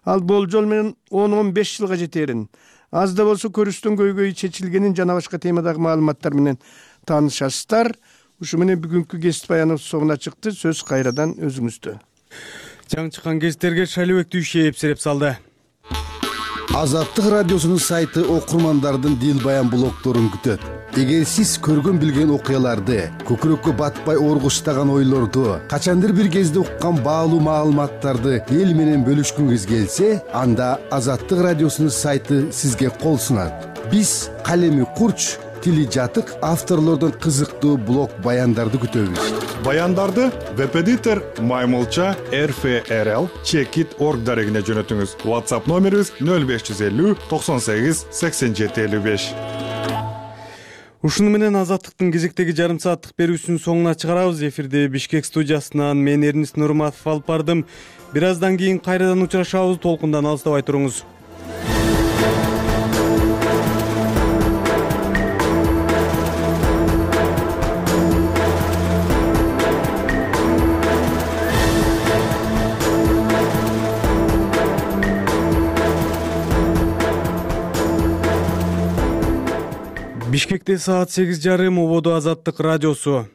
ал болжол менен 10-15 жылга жетерин, аз да болсо көрүстөн көйгөй чечилгенин жана башка темадагы маалыматтар менен таанышасыздар. Ушу менен бүгүнкү гезит баяныбыз соңуна чыкты. Сөз кайрадан өзүңүздө. Жаңы чыккан гезиттерге Шайлообек Дүйшеев сереп салды. Азаттык радиосунун сайты окурмандардын дил баян блогторун күтөт. Эгер сиз көргөн билген окуяларды, көкүрөккө батпай оргуштаган ойлорду, качандыр бир кезде уккан баалуу маалыматтарды эл менен бөлүшкүңүз келсе, анда Азаттык радиосунун сайты сизге кол сунат. Биз калеми курч, тили жатык авторлордун кызыктуу блог баяндарды күтөбүз. Баяндарды веб-эдитор Маймылча RFRL Checkit.org дарегине жөнөтүңүз. WhatsApp номерибиз 0550 98 87 55. Ушуну менен Азаттыктын кезектеги жарым сааттык берүүсүнүн соңуна чыгарабыз. Эфирде Бишкек студиясынан мен Эрнис Нурматов алып бардым. Бир аздан кийин кайрадан учурашабыз. Толкундан алыстабай туруңуз. Бишкекте саат 8:30, ободо Азаттык радиосу.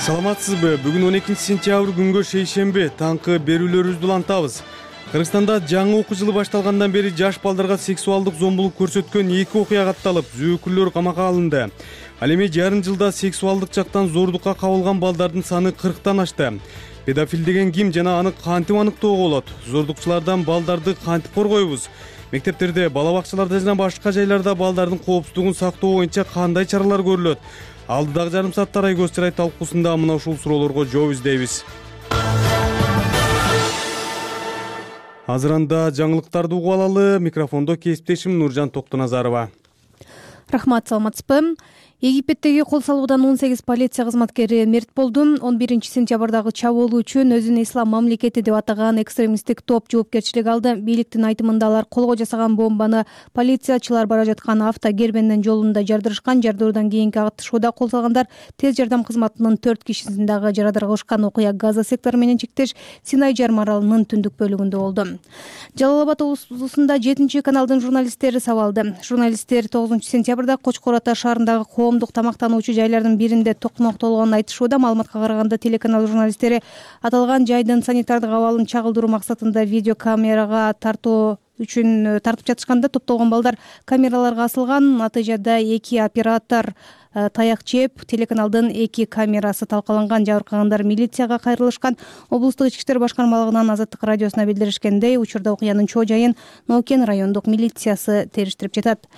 Саламатсызбы? Бүгүн 12 сентябрь күнгө шейшемби. Таңкы берүүлөрүбүздү улантабыз. Кыргызстанда жаңы окуу жылы башталгандан бери жаш балдарга сексуалдык зомбулук көрсөткөн 2 окуя катталып, зөөкүрлөр камакка алынды. Ал эми жарым жылда сексуалдык жактан зордукка кабылган балдардын саны 40тан ашты. Педофил деген ким жана аны кантип аныктоого болот? Зордукчулардан балдарды кантип коргойбуз? Мектептерде, бала бакчаларда жана башка жайларда балдардын коопсуздугун сактоо боюнча кандай чаралар көрүлөт? Алдыдагы жарым саатта Рай көз чырай талкуусунда мына ушул суроолорго жооп издейбиз. Азырында жаңылыктарды угуп алалы. Микрофондо кесиптешим Нуржан Токтоназарова. Рахмат, саламатсызбы? Египеттеги кол салуудан 18 полиция кызматкери мерт болду. 11 сентябрдагы чабуул үчүн өзүн Ислам мамлекети деп атаган экстремисттик топ жоопкерчилик алды. Бийликтин айтымында алар колго жасаган бомбаны полициячылар бара жаткан автокербендин жолунда жардырышкан. Жардыруудан кийинки атышууда кол салгандар тез жардам кызматынын 4 кишисин дагы жарадар кылышкан. Окуя Газа сектору менен чектеш Синай жарым аралынын түндүк бөлүгүндө болду. Жалал Абад облусунда 7-каналдын журналисттери сабалды. Журналисттер 9 сентябрда Кочкор Ата шаарындагы коомдук тамактануучу жайлардын биринде токмоктолгонун айтышууда. Маалыматка караганда телеканал журналисттери аталган жайдын санитардык абалын чагылдыруу максатында видеокамерага тартуу үчүн тартып жатышканда топтолгон балдар камераларга асылган. Натыйжада 2 оператор таяк жеп, телеканалдын 2 камерасы талкаланган. Жабыркагандар милицияга кайрылышкан. Облустук ички иштер башкармалыгынан Азаттык радиосуна билдиришкендей, учурда окуянын чоо жайын Нокен райондук милициясы териштирип жатат.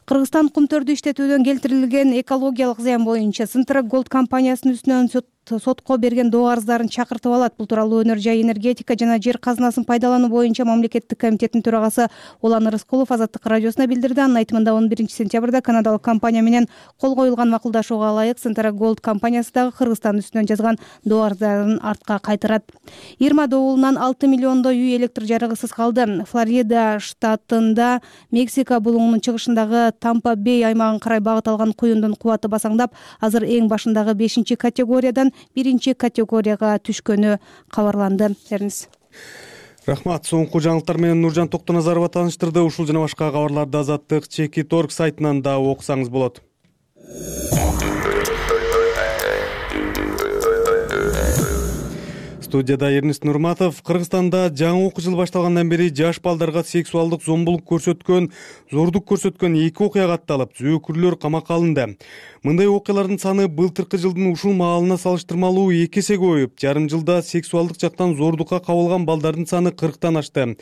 Кыргызстан кумтөрдү иштетүүдөн келтирилген экологиялык зыян боюнча Центра Голд компаниясынын үстүнөн сотко берген доо арыздарын чакыртып алат. Бул тууралуу өнөр жай, энергетика жана жер казынасын пайдалануу боюнча мамлекеттик комитеттин төрагасы Улан Рыскулов Азаттык радиосуна билдирди. Анын айтымында 11 сентябрда канадалык компания менен кол коюлган макулдашууга ылайык Центра Голд компаниясы дагы Кыргызстандын үстүнөн жазган доо арыздарын артка кайтарат. Ирма добулунан 6 миллиондой үй электр жарыгысыз калды. Флорида штатында Мексика булуңунун чыгышындагы Тампа-Бей аймагын карай багыт алган куюндун кубаты басаңдап, азыр эң башындагы 5-категориядан 1-категорияга түшкөнү кабарланды. Эрнис. Рахмат. Соңку жаңылыктар менен Нуржан Токтоназарова тааныштырды. Ушул жана башка кабарларды Азаттык Чекит.орг сайтынан да окусаңыз болот. Студияда Эрнис Нурматов. Кыргызстанда жаңы окуу жылы башталгандан бери жаш балдарга сексуалдык зомбулук көрсөткөн, зордук көрсөткөн 2 окуя катталып, зөөкүрлөр камакка алынды. Мындай окуялардын саны былтыркы жылдын ушул маалына салыштырмалуу 2 эсе көбөйүп, жарым жылда сексуалдык жактан зордукка кабылган балдардын саны 40тан ашты.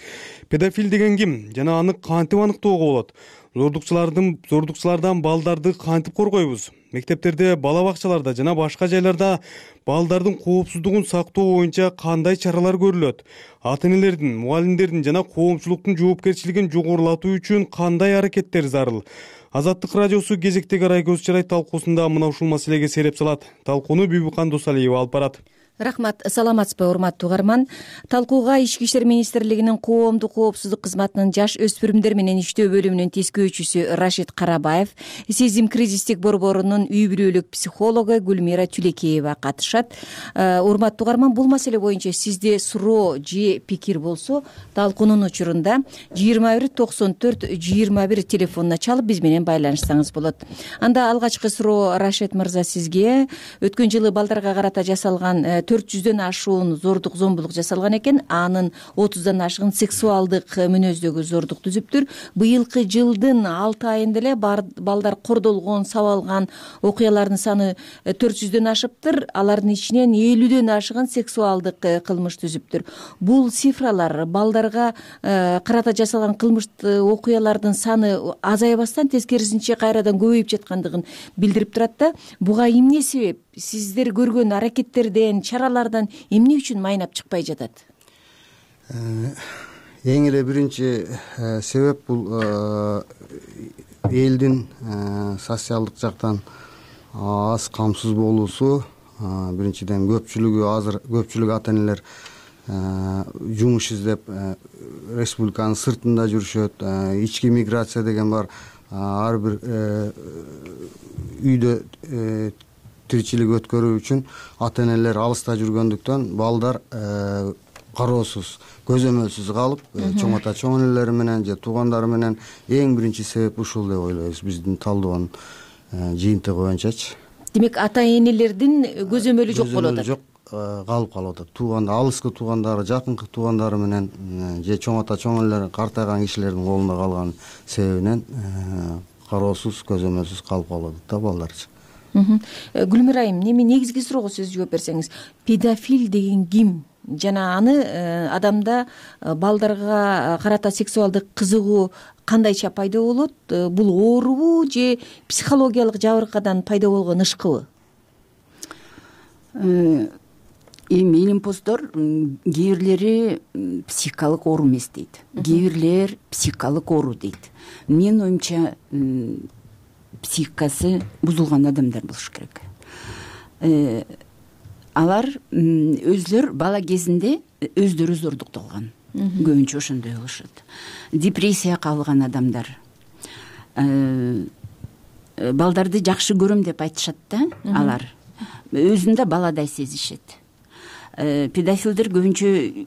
Педофил деген ким жана аны кантип аныктоого болот? Зордукчулардан балдарды кантип коргойбуз? Мектептерде, бала бакчаларда жана башка жайларда балдардын коопсуздугун сактоо боюнча кандай чаралар көрүлөт? Ата-энелердин, мугалимдердин жана коомчулуктун жоопкерчилигин жогорулатуу үчүн кандай аракеттер зарыл? Азаттык радиосу кезектеги Рай көз чырай талкуусунда мына ушул маселеге сереп салат. Талкууну Бибикан Досалиева алып барат. Рахмат, саламатсызбы урматтуу угарман. Талкууга Ички иштер министрлигинин коомдук коопсуздук кызматынын жаш өспүрүмдөр менен иштөө бөлүмүнүн тескөөчүсү Рашид Карабаев, Сезим кризистик борборунун үй бүлөлүк психологу Гүлмира Түлекеева катышат. Урматтуу угарман, бул маселе боюнча сизде суроо же пикир болсо, талкуунун учурунда 21 94 21 телефонуна чалып биз менен байланышсаңыз болот. Анда алгачкы суроо Рашид мырза сизге. Өткөн жылы балдарга карата жасалган 400дөн ашуун зордук зомбулук жасалган экен. Анын 30дан ашыгын сексуалдык мүнөздөгү зордук түзүптүр. Быйылкы жылдын 6 айында эле балдар кордолгон, сабалган окуялардын саны 400дөн ашыптыр. Алардын ичинен 50дөн ашыгын сексуалдык кылмыш түзүптүр. Бул цифралар балдарга карата жасалган кылмыш окуялардын саны азайбастан тескерисинче кайрадан көбөйүп жаткандыгын билдирип турат да. Буга эмне себеп? Сиздер көргөн аракеттерден, чаралардан эмне үчүн майнап чыкпай жатат? эң эле биринчи себеп бул элдин социалдык жактан аз камсыз болуусу. Биринчиден көпчүлүк ата энелер жумуш издеп республиканын сыртында жүрүшөт. Ички миграция деген бар. Ар бир үйдө тиричилик өткөрүү үчүн ата энелер алыста жүргөндүктөн балдар кароосуз, көзөмөлсүз калып, чоң ата чоң энелери менен же туугандары менен эң биринчи себеп ушул деп ойлойбуз биздин талдоонун жыйынтыгы боюнчачы. Демек ата энелердин көзөмөлү жок болуп атат. Жок калып атат. Алыскы туугандары, жакынкы туугандары менен же чоң ата чоң энелер картайган кишилердин колунда калган себебинен кароосуз, көзөмөлсүз калып калып атат да балдарчы. Гүлмира айым, негизги суроого сөз жооп берсеңиз, педофил деген ким? Жана аны адамда балдарга карата сексуалдык кызыгуу кандайча пайда болот? Бул оорубу же психологиялык жабыркадан пайда болгон ышкыбы? Эми илимпоздор кээ бирлери психикалык оору эмес дейт, кээ бирлер психикалык оору дейт. Менин оюмча психикасы бузулган адамдар болуш керек. Алар өзлөр бала кезинде өздөрү зордукталган, көбүнчө ошондой болушат. Депрессияга кабылган адамдар, балдарды жакшы көрөм деп айтышат да, алар өзүн да баладай сезишет. Педофилдер көбүнчө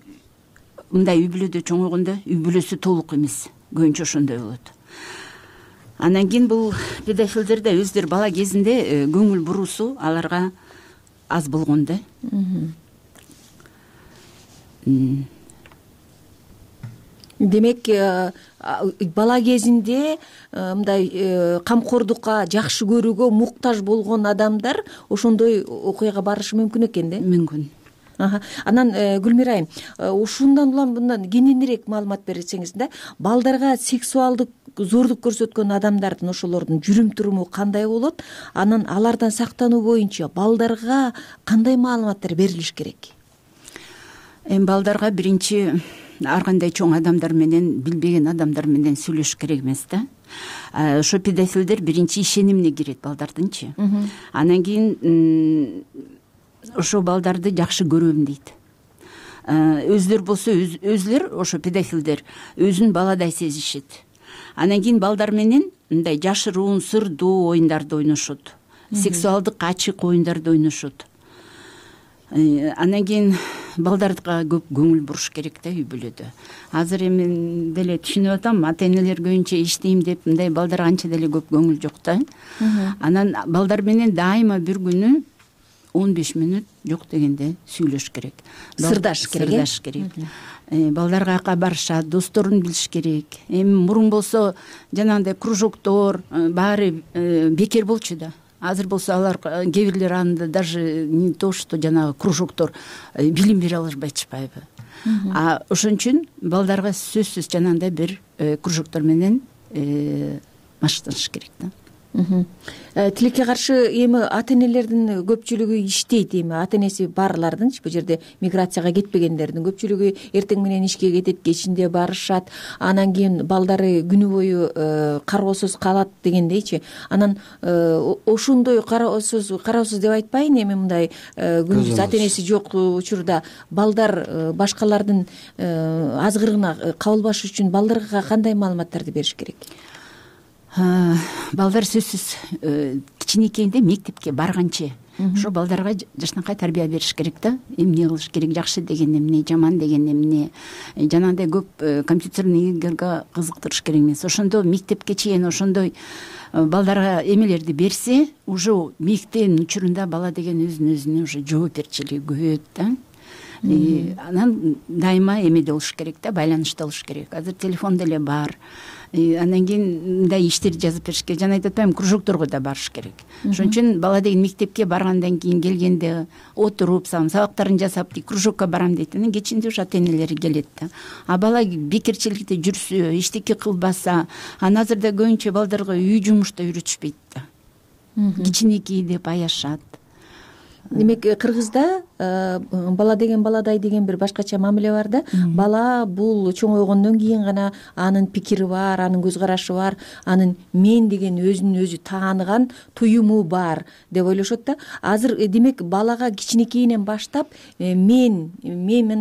мындай үй бүлөдө чоңойгондо үй бүлөсү толук эмес, көбүнчө ошондой болот. Анан кийин бул педофилдер да өздөрү бала кезинде көңүл буруусу аларга аз болгон да. Демек, бала кезинде мындай камкордукка, жакшы көрүүгө муктаж болгон адамдар ошондой окуяга барышы мүмкүн экен да? Мүмкүн. Анан Гүлмира айым, ушундан улам мындан кененирээк маалымат берсеңиз да, балдарга сексуалдык зордук көрсөткөн адамдардын ошолордун жүрүм туруму кандай болот? Анан алардан сактануу боюнча балдарга кандай маалыматтар берилиш керек? Эми балдарга биринчи ар кандай чоң адамдар менен, билбеген адамдар менен сүйлөшүш керек эмес да. Ошо педофилдер биринчи ишенимине кирет балдардынчы. Анан кийин ошо балдарды жакшы көрөм дейт. Өздөр болсо өзлөр ошо педофилдер өзүн баладай сезишет. Анан кийин балдар менен мындай жашыруун, сырдуу оюндарды ойношот. Сексуалдык ачык оюндарды ойношот. Анан кийин балдарга көп көңүл буруш керек да үй бүлөдө. Азыр эми деле түшүнүп атам, ата энелер көбүнчө иштейм деп мындай балдарга анча деле көп көңүл жок да. Анан балдар менен дайыма бир күнү 15 мүнөт жок дегенде сүйлөш керек. Сырдаш керек. Балдар каяка барышат, досторун билиш керек. Эми мурун болсо жанагындай кружоктор баары бекер болчу да. Азыр болсо алар кээ бирлер анда даже не то что жанагы кружоктор билим бере алышпайбы. Ошон үчүн балдарга сөзсүз жанагындай бир кружоктор менен машыктаныш керек да. Тилекке каршы эми ата энелердин көпчүлүгү иштейт, эми ата энеси барлардынчы, бул жерде миграцияга кетпегендердин көпчүлүгү эртең менен ишке кетет, кечинде барышат, анан кийин балдары күнү бою кароосуз калат дегендейчи. Анан ошондой кароосуз деп айтпайын, эми мындай күнүбүз ата энеси жок учурда балдар башкалардын азгырыгына кабылбаш үчүн балдарга кандай маалыматтарды бериш керек? Балдар сөзсүз кичинекейинде мектепке барганчы ошо балдарга жакшынакай тарбия бериш керек да. Эмне кылыш керек, жакшы деген эмне, жаман деген эмне, жанагындай көп компьютерный игрга кызыктырыш керек эмес. Ошондо мектепке чейин ошондой балдарга эмелерди берсе, уже мектептин учурунда бала деген өзүнө уже жоопкерчилиги көбөйөт да. Анан дайыма эмеде болуш керек да, байланышта болуш керек. Азыр телефон деле бар. Анан кийин мындай иштерди жазып бериш керек. Жана айтып атпаймынбы, кружокторго да барыш керек. Ошон үчүн бала деген мектепке баргандан кийин келгенде отуруп, сабактарын жасап, кружокко барам дейт. Анан кечинде ушу ата энелери келет да. Бала бекерчиликте жүрсө, иштеки кылбаса, анан азырда көбүнчө балдарга үй жумушта үйрөтүшпөйт да. Кичинекей деп аяшат. демек кыргызда бала деген баладай деген бир башкача мамиле бар да. Бала бул чоңойгондон кийин гана анын пикири бар, анын көз карашы бар, анын мен деген өзүн өзү тааныган туюму бар деп ойлошот да. Азыр демек балага кичинекейинен баштап мен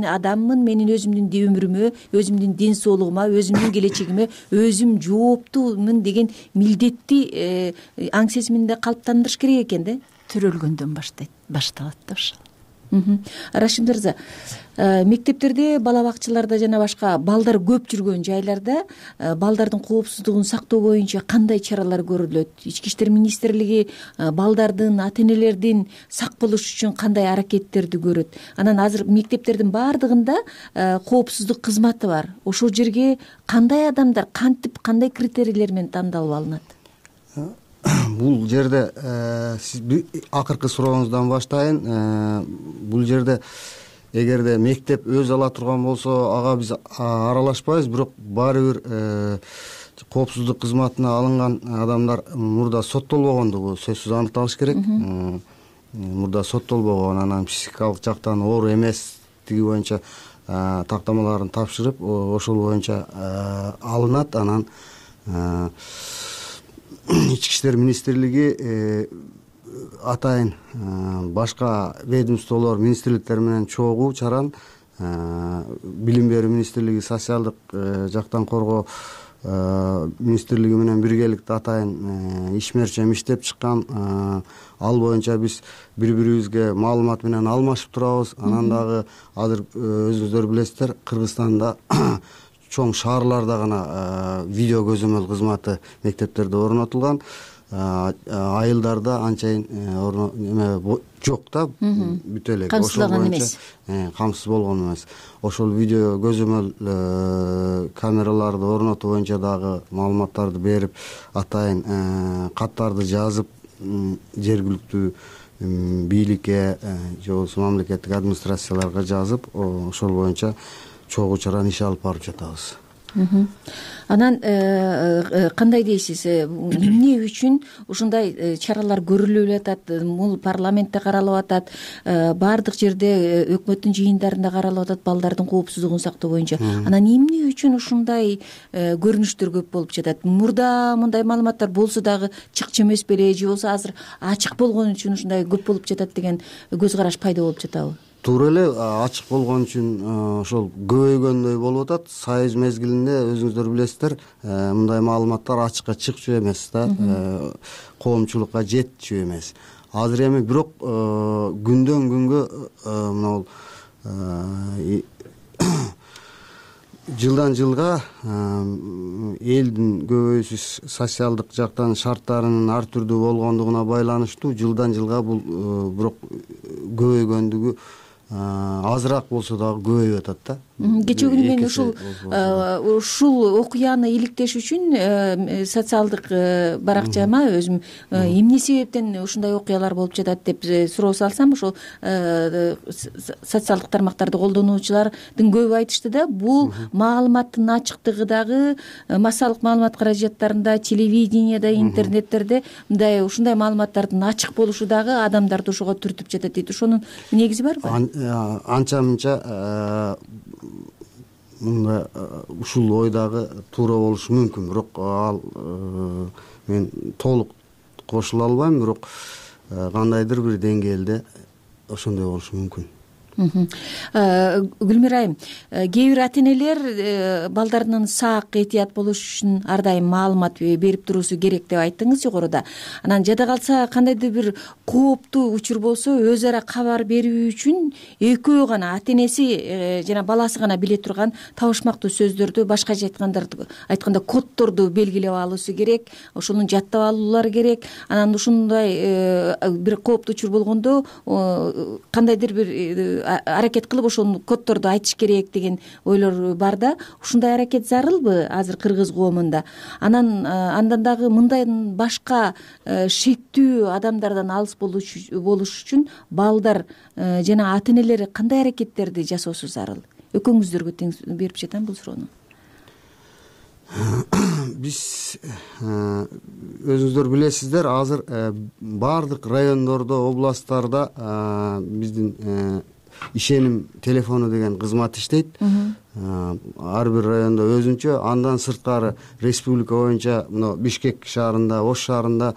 адаммын, менин өзүмдүн өмүрүмө, өзүмдүн ден соолугума, өзүмдүн келечегиме өзүм жооптумун деген милдетти аң сезиминде калыптандырыш керек экен да. Төрөлгөндөн башталат да ошол. Рашид мырза, мектептерде, бала бакчаларда жана башка балдар көп жүргөн жайларда балдардын коопсуздугун сактоо боюнча кандай чаралар көрүлөт? Ички иштер министрлиги балдардын, ата энелердин сак болуш үчүн кандай аракеттерди көрөт? Анан азыр мектептердин баардыгында коопсуздук кызматы бар. Ошол жерге кандай адамдар, кантип, кандай критерийлер менен тандалып алынат? Бул жерде сиз акыркы сурооңуздан баштайын. Бул жерде эгерде мектеп өз ала турган болсо, ага биз аралашпайбыз, бирок баары бир коопсуздук кызматына алынган адамдар мурда соттолбогондугу сөзсүз аныкталыш керек. Мурда соттолбогон, анан психикалык жактан оор эместиги боюнча тактамаларын тапшырып, ошол боюнча алынат. Анан Ички иштер министрлиги атайын башка ведомстволор, министрликтер менен чогуу чаран, билим берүү министрлиги, социалдык жактан коргоо министрлиги менен биргеликте атайын ишмерчем иштеп чыккан. Ал боюнча биз бири-бирибизге маалымат менен алмашып турабыз. Анан дагы азыр өзүңүздөр билесиздер, Кыргызстанда чоң шаарларда гана видео көзөмөл кызматы мектептерде орнотулган. Айылдарда анчайын жок да, бүтө эле. Камсызлаган эмес. Камсыз болгон эмес. Ошол видео көзөмөл камераларды орнотуу боюнча дагы маалыматтарды берип, атайын каттарды жазып, жергиликтүү бийликке же болбосо мамлекеттик администрацияларга жазып, ошол боюнча чогуу чаран иш алып барып жатабыз. Анан кандай дейсиз, эмне үчүн ушундай чаралар көрүлүп атат? Бул парламентте каралып атат, баардык жерде өкмөттүн жыйындарында каралып атат балдардын коопсуздугун сактоо боюнча. Анан эмне үчүн ушундай көрүнүштөр көп болуп жатат? Мурда мындай маалыматтар болсо дагы чыкчу эмес беле, же болбосо азыр ачык болгон үчүн ушундай көп болуп жатат деген көз караш пайда болуп жатабы? Туура эле, ачык болгон үчүн ошол көбөйгөндөй болуп атат. Союз мезгилинде өзүңүздөр билесиздер, мындай маалыматтар ачыкка чыкчу эмес да, коомчулукка жетчү эмес. Азыр эми бирок күндөн күнгө мына жылдан жылга элдин көбөйүүсү социалдык жактан шарттарынын ар түрдүү болгондугуна байланыштуу жылдан жылга бул бирок көбөйгөндүгү азыраак болсо дагы көбөйүп атат да. Кечээ күнү мен ушул окуяны иликтеш үчүн социалдык баракчама өзүм эмне себептен ушундай окуялар болуп жатат деп суроо салсам, ошол социалдык тармактарды колдонуучулардын көбү айтышты да, бул маалыматтын ачыктыгы дагы массалык маалымат каражаттарында, телевиденияда, интернеттерде мындай ушундай маалыматтардын ачык болушу дагы адамдарды ошого түртүп жатат дейт. Ошонун негизи барбы? Анча мынча мында ушул ой дагы туура болушу мүмкүн, бирок ал мен толук кошула албайм, бирок кандайдыр бир деңгээлде ошондой болушу мүмкүн. Гүлмира айым, кээ бир ата энелер балдарынын сак, этият болуш үчүн ар дайым маалымат берип туруусу керек деп айттыңыз жогоруда. Анан жада калса кандайдыр бир кооптуу учур болсо өз ара кабар берүү үчүн экөө гана, ата энеси жана баласы гана биле турган табышмактуу сөздөрдү, башкача айтканда коддорду белгилеп алуусу керек, ошону жаттап алуулары керек. Анан ушундай бир кооптуу учур болгондо кандайдыр бир аракет кылып ошол коддорду айтыш керек деген ойлор бар да. Ушундай аракет зарылбы азыр кыргыз коомунда? Анан андан дагы мындай башка шектүү адамдардан алыс болуш үчүн балдар жана ата энелер кандай аракеттерди жасоосу зарыл? Экөөңүздөргө тең берип жатам бул суроону. биз өзүңүздөр билесиздер, азыр баардык райондордо, областтарда биздин ишеним телефону деген кызмат иштейт. Ар бир райондо өзүнчө, андан сырткары республика боюнча мына Бишкек шаарында, Ош шаарында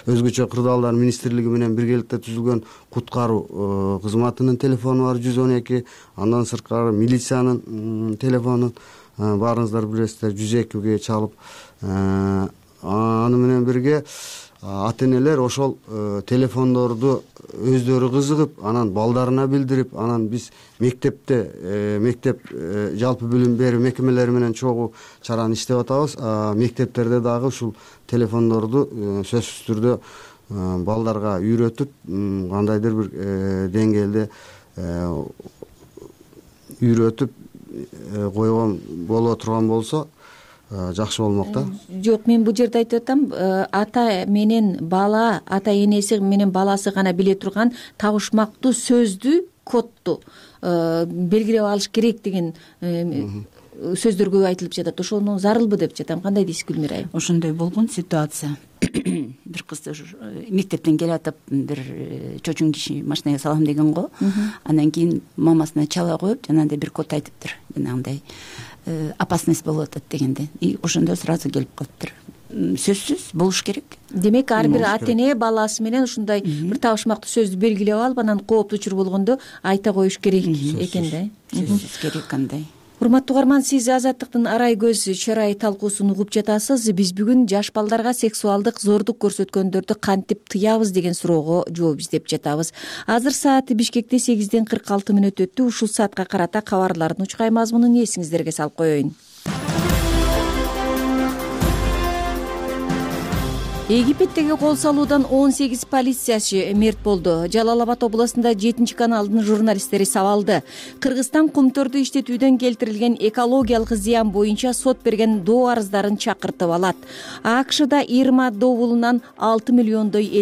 өзгөчө кырдаалдар министрлиги менен биргеликте түзүлгөн куткаруу кызматынын телефону бар 112. Андан сырткары милициянын телефонун баарыңыздар билесиздер 102ге чалып, аны менен бирге ата энелер ошол телефондорду өздөрү кызыгып, анан балдарына билдирип, анан биз мектеп жалпы билим берүү мекемелери менен чогуу чараны иштеп атабыз. Мектептерде дагы ушул телефондорду сөзсүз түрдө балдарга үйрөтүп, кандайдыр бир деңгээлде үйрөтүп койгон боло турган болсо жакшы болмок да. Жок, мен бул жерде айтып атам, ата менен бала, ата энеси менен баласы гана биле турган табышмактуу сөздү, кодду белгилеп алыш керек деген сөздөр көп айтылып жатат. Ошону зарылбы деп жатам. Кандай дейсиз Гүлмира айым? Ошондой болгон ситуация. Бир кыз мектептен келип атып, бир чочун киши машинага салам деген го. Андан кийин мамасына чала коюп, жанагындай бир код айтыптыр. Жанагындай опасность болуп атат дегенде. И ошондо сразу келип калыптыр. Сөзсүз болуш керек. Демек, ар бир ата эне баласы менен ушундай бир табышмактуу сөздү белгилеп алып, анан кооптуу учур болгондо айта коюш керек экен да. Сөзсүз керек кандай. Урматтуу угарман, сиз Азаттыктын арай көз чырай талкуусун угуп жатасыз. Биз бүгүн жаш балдарга сексуалдык зордук көрсөткөндөрдү кантип тыябыз деген суроого жооп издеп жатабыз. Азыр сааты Бишкекте 8:46 өттү. Ушул саатка карата кабарлардын учкай мазмунун эсиңиздерге салып коеюн. Египеттеги кол салуудан 18 полициячы мерт болду. Жалал Абад областында 7 каналдын журналисттери сабалды. Кыргызстан кумтөрдү иштетүүдөн келтирилген экологиялык зыян боюнча сот берген доо арыздарын чакыртып алат. АКШда Ирма добулунан 6 миллиондой үй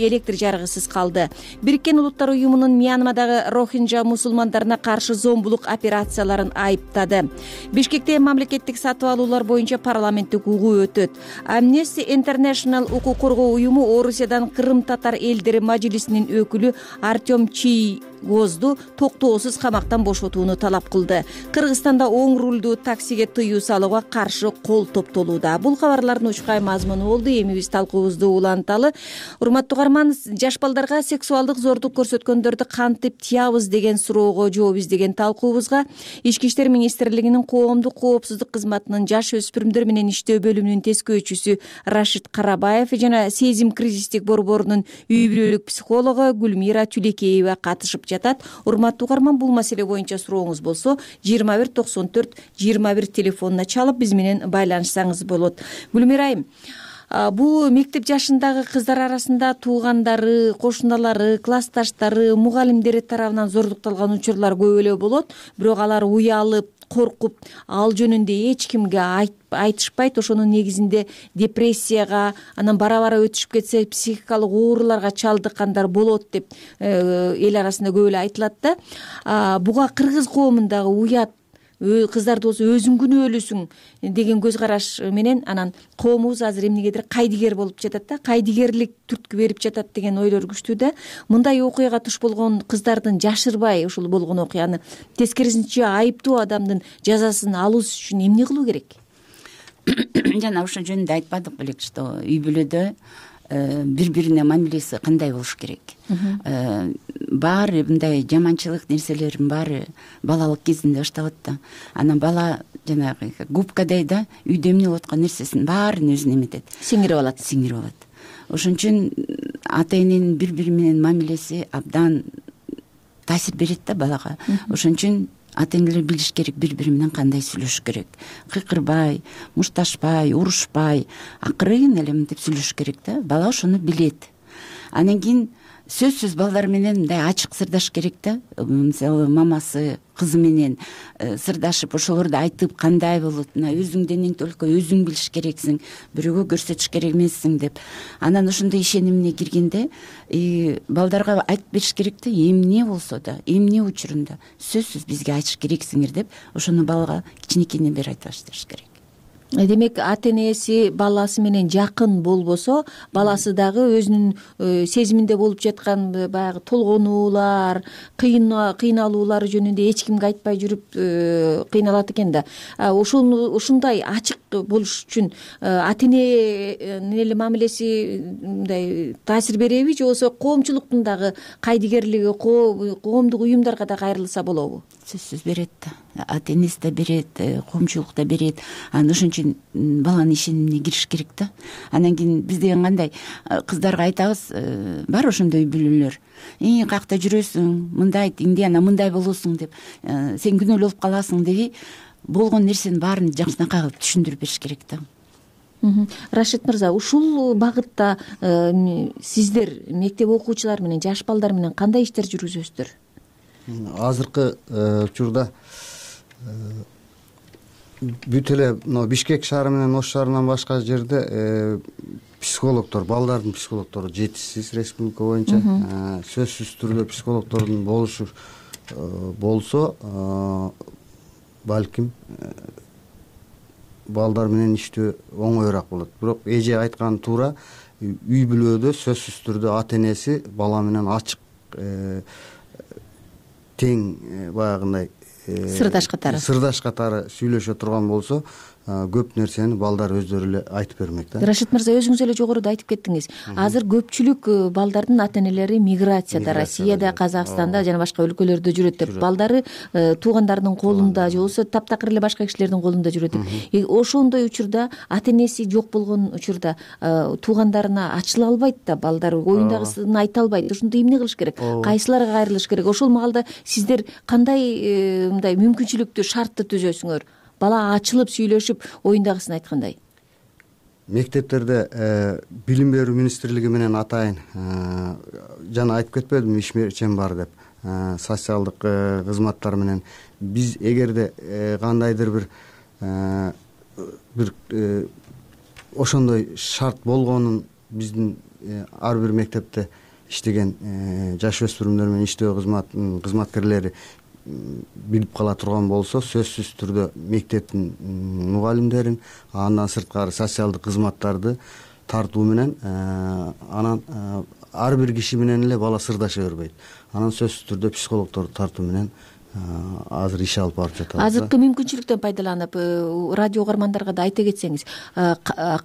электр жарыгысыз калды. Бириккен Улуттар уюмунун Мьянмадагы Рохинджа мусулмандарына каршы зомбулук операцияларын айыптады. Бишкекте мамлекеттик сатып алуулар боюнча парламенттик угуу өтөт. Amnesty International укук коргоо уюму Орусиядан Кырым татар элдери мажлисинин өкүлү Артем Чийгозду токтоосуз камактан бошотууну талап кылды. Кыргызстанда оң рулдуу таксиге тыюу салууга каршы кол топтолууда. Бул кабарлардын учкай мазмуну болду. Эми биз талкуубузду уланталы. Урматтуу угарман, жаш балдарга сексуалдык зордук көрсөткөндөрдү кантип тыябыз деген суроого жооп издеген талкуубузга Ички иштер министрлигинин коомдук коопсуздук кызматынын жаш өспүрүмдөр менен иштөө бөлүмүнүн тескөөчүсү Рашид Карабаев жана Сезим кризистик борборунун үй бүлөлүк психологу Гүлмира Түлекеева катышып жатат. Урматтуу угарман, бул маселе боюнча сурооңуз болсо 2194-21 телефонуна чалып биз менен байланышсаңыз болот. Гүлмира айым, бул мектеп жашындагы кыздар арасында туугандары, кошуналары, классташтары, мугалимдери тарабынан зордукталган учурлар көп эле болот. Бирок алар уялып, коркуп, ал жөнүндө эч кимге айтышпайт. Ошонун негизинде депрессияга, анан бара-бара өтүшүп кетсе психикалык ооруларга чалдыккандар болот деп эл арасында көп эле айтылат да. Буга кыргыз коомундагы уят кыздарды болсо өзүң күнөөлүүсүң деген көз караш менен анан коомубуз азыр эмнегедир кайдыгер болуп жатат да, кайдыгерлик түрткү берип жатат деген ойлор күчтүү да. Мындай окуяга туш болгон кыздардын жашырбай ушул болгон окуяны, тескерисинче айыптуу адамдын жазасын алуу үчүн эмне кылуу керек? Жана ошол жөнүндө айтпадык белек, что үй бүлөдө бири-бирине мамилеси кандай болуш керек. Баары мындай жаманчылык нерселердин баары балалык кезинде башталат да. Анан бала жанагы губкадай да үйдө эмне болуп аткан нерсесин баарын өзүнө эметет, сиңирип алат. Ошон үчүн ата эненин бири-бири менен мамилеси абдан таасир берет да балага. Ошон үчүн ата энелер билиш керек бири-бири менен кандай сүйлөшүш керек. Кыйкырбай, мушташпай, урушпай, акырын эле мынтип сүйлөшүш керек да. Бала ошону билет. Анан кийин сөзсүз балдар менен мындай ачык сырдаш керек да. Мисалы мамасы кызы менен сырдашып ошолорду айтып кандай болот, мына өзүңдөн эң только өзүң билиш керексиң, бирөөгө көрсөтүш керек эмессиң деп. Анан ошондой ишенимине киргенде балдарга айтып бериш керек да, эмне болсо да, эмне учурунда сөзсүз бизге айтыш керексиңер деп ошону балага кичинекейинен бери айтып башташ керек. Демек ата энеси баласы менен жакын болбосо, баласы дагы өзүнүн сезиминде болуп жаткан баягы толгонуулар, кыйналуулары жөнүндө эч кимге айтпай жүрүп кыйналат экен да. Ушундай ачык болуш үчүн ата эненин эле мамилеси мындай таасир береби, же болбосо коомчулуктун дагы кайдыгерлиги, коомдук уюмдарга да кайрылса болобу? Сөзсүз берет да, ата энеси да берет, коомчулук да берет. Анан ошон үчүн баланын ишенимине кириш керек да. Анан кийин биз деген кандай кыздарга айтабыз, бар ошондой үй бүлөлөр. Каякта жүрөсүң, мындай тиңди, анан мындай болосуң деп, сен күнөөлүү болуп каласың деп, болгон нерсенин баарын жакшынакай кылып түшүндүрүп бериш керек да. Рашид мырза, ушул багытта сиздер мектеп окуучулары менен, жаш балдар менен кандай иштер жүргүзөсүздөр? Азыркы учурда бүт эле Бишкек шаары менен Ош шаарынан башка жерде психологдор, балдардын психологдору жетишсиз республика боюнча. Сөзсүз түрдө психологдордун болушу болсо, балким балдар менен иштөө оңоюраак болот. Бирок эже айтканы туура, үй бүлөдө сөзсүз түрдө ата энеси бала менен ачык тең баягындай сырдаш катары сүйлөшө турган болсо, көп нерсени балдар өздөрү эле айтып бермек да. Рашид мырза, өзүңүз эле жогоруда айтып кеттиңиз. Азыр көпчүлүк балдардын ата энелери миграцияда, Россияда, Казакстанда жана башка өлкөлөрдө жүрөт деп, балдары туугандарынын колунда же болбосо таптакыр эле башка кишилердин колунда жүрөт деп. Ошондой учурда ата энеси жок болгон учурда туугандарына ачыла албайт да, балдар оюндагысын айта албайт. Ошондо эмне кылыш керек? Кайсыларга кайрылыш керек? Ошол маалда сиздер кандай мындай мүмкүнчүлүктү, шартты түзөсүңөр? Бала ачылып сүйлөшүп оюндагысын айткандай. Мектептерде билим берүү министрлиги менен атайын жана айтып кетпедимби, ишмерчен бар деп, социалдык кызматтар менен биз эгерде кандайдыр бир ошондой шарт болгонун биздин ар бир мектепте иштеген жаш өспүрүмдөр менен иштөө кызматкерлери билип кала турган болсо, сөзсүз түрдө мектептин мугалимдерин, андан сырткары социалдык кызматтарды тартуу менен анан ар бир киши менен эле бала сырдаша бербейт. Анан сөзсүз түрдө психологдорду тартуу менен азыр иш алып барып жатабыз. Азыркы мүмкүнчүлүктөн пайдаланып, радио угармандарга да айта кетсеңиз,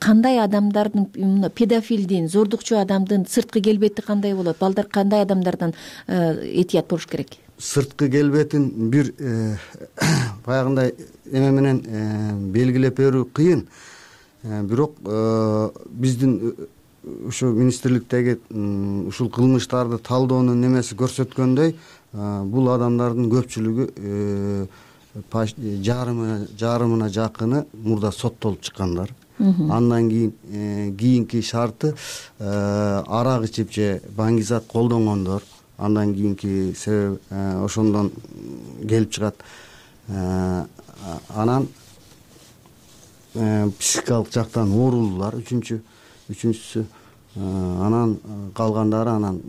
кандай адамдардын, педофилдин, зордукчу адамдын сырткы келбети кандай болот? Балдар кандай адамдардан этият болуш керек? Сырткы келбетин бир баягындай эме менен белгилеп берүү кыйын. Бирок биздин ушу министрликтеги ушул кылмыштарды талдоонун немеси көрсөткөндөй, бул адамдардын көпчүлүгү жарымына жакыны мурда соттолуп чыккандар. Андан кийинки шарты арак ичип же баңгизат колдонгондор. Андан кийинки себеп ошондон келип чыгат. Анан психикалык жактан оорулуулар үчүнчүсү, анан калгандары анан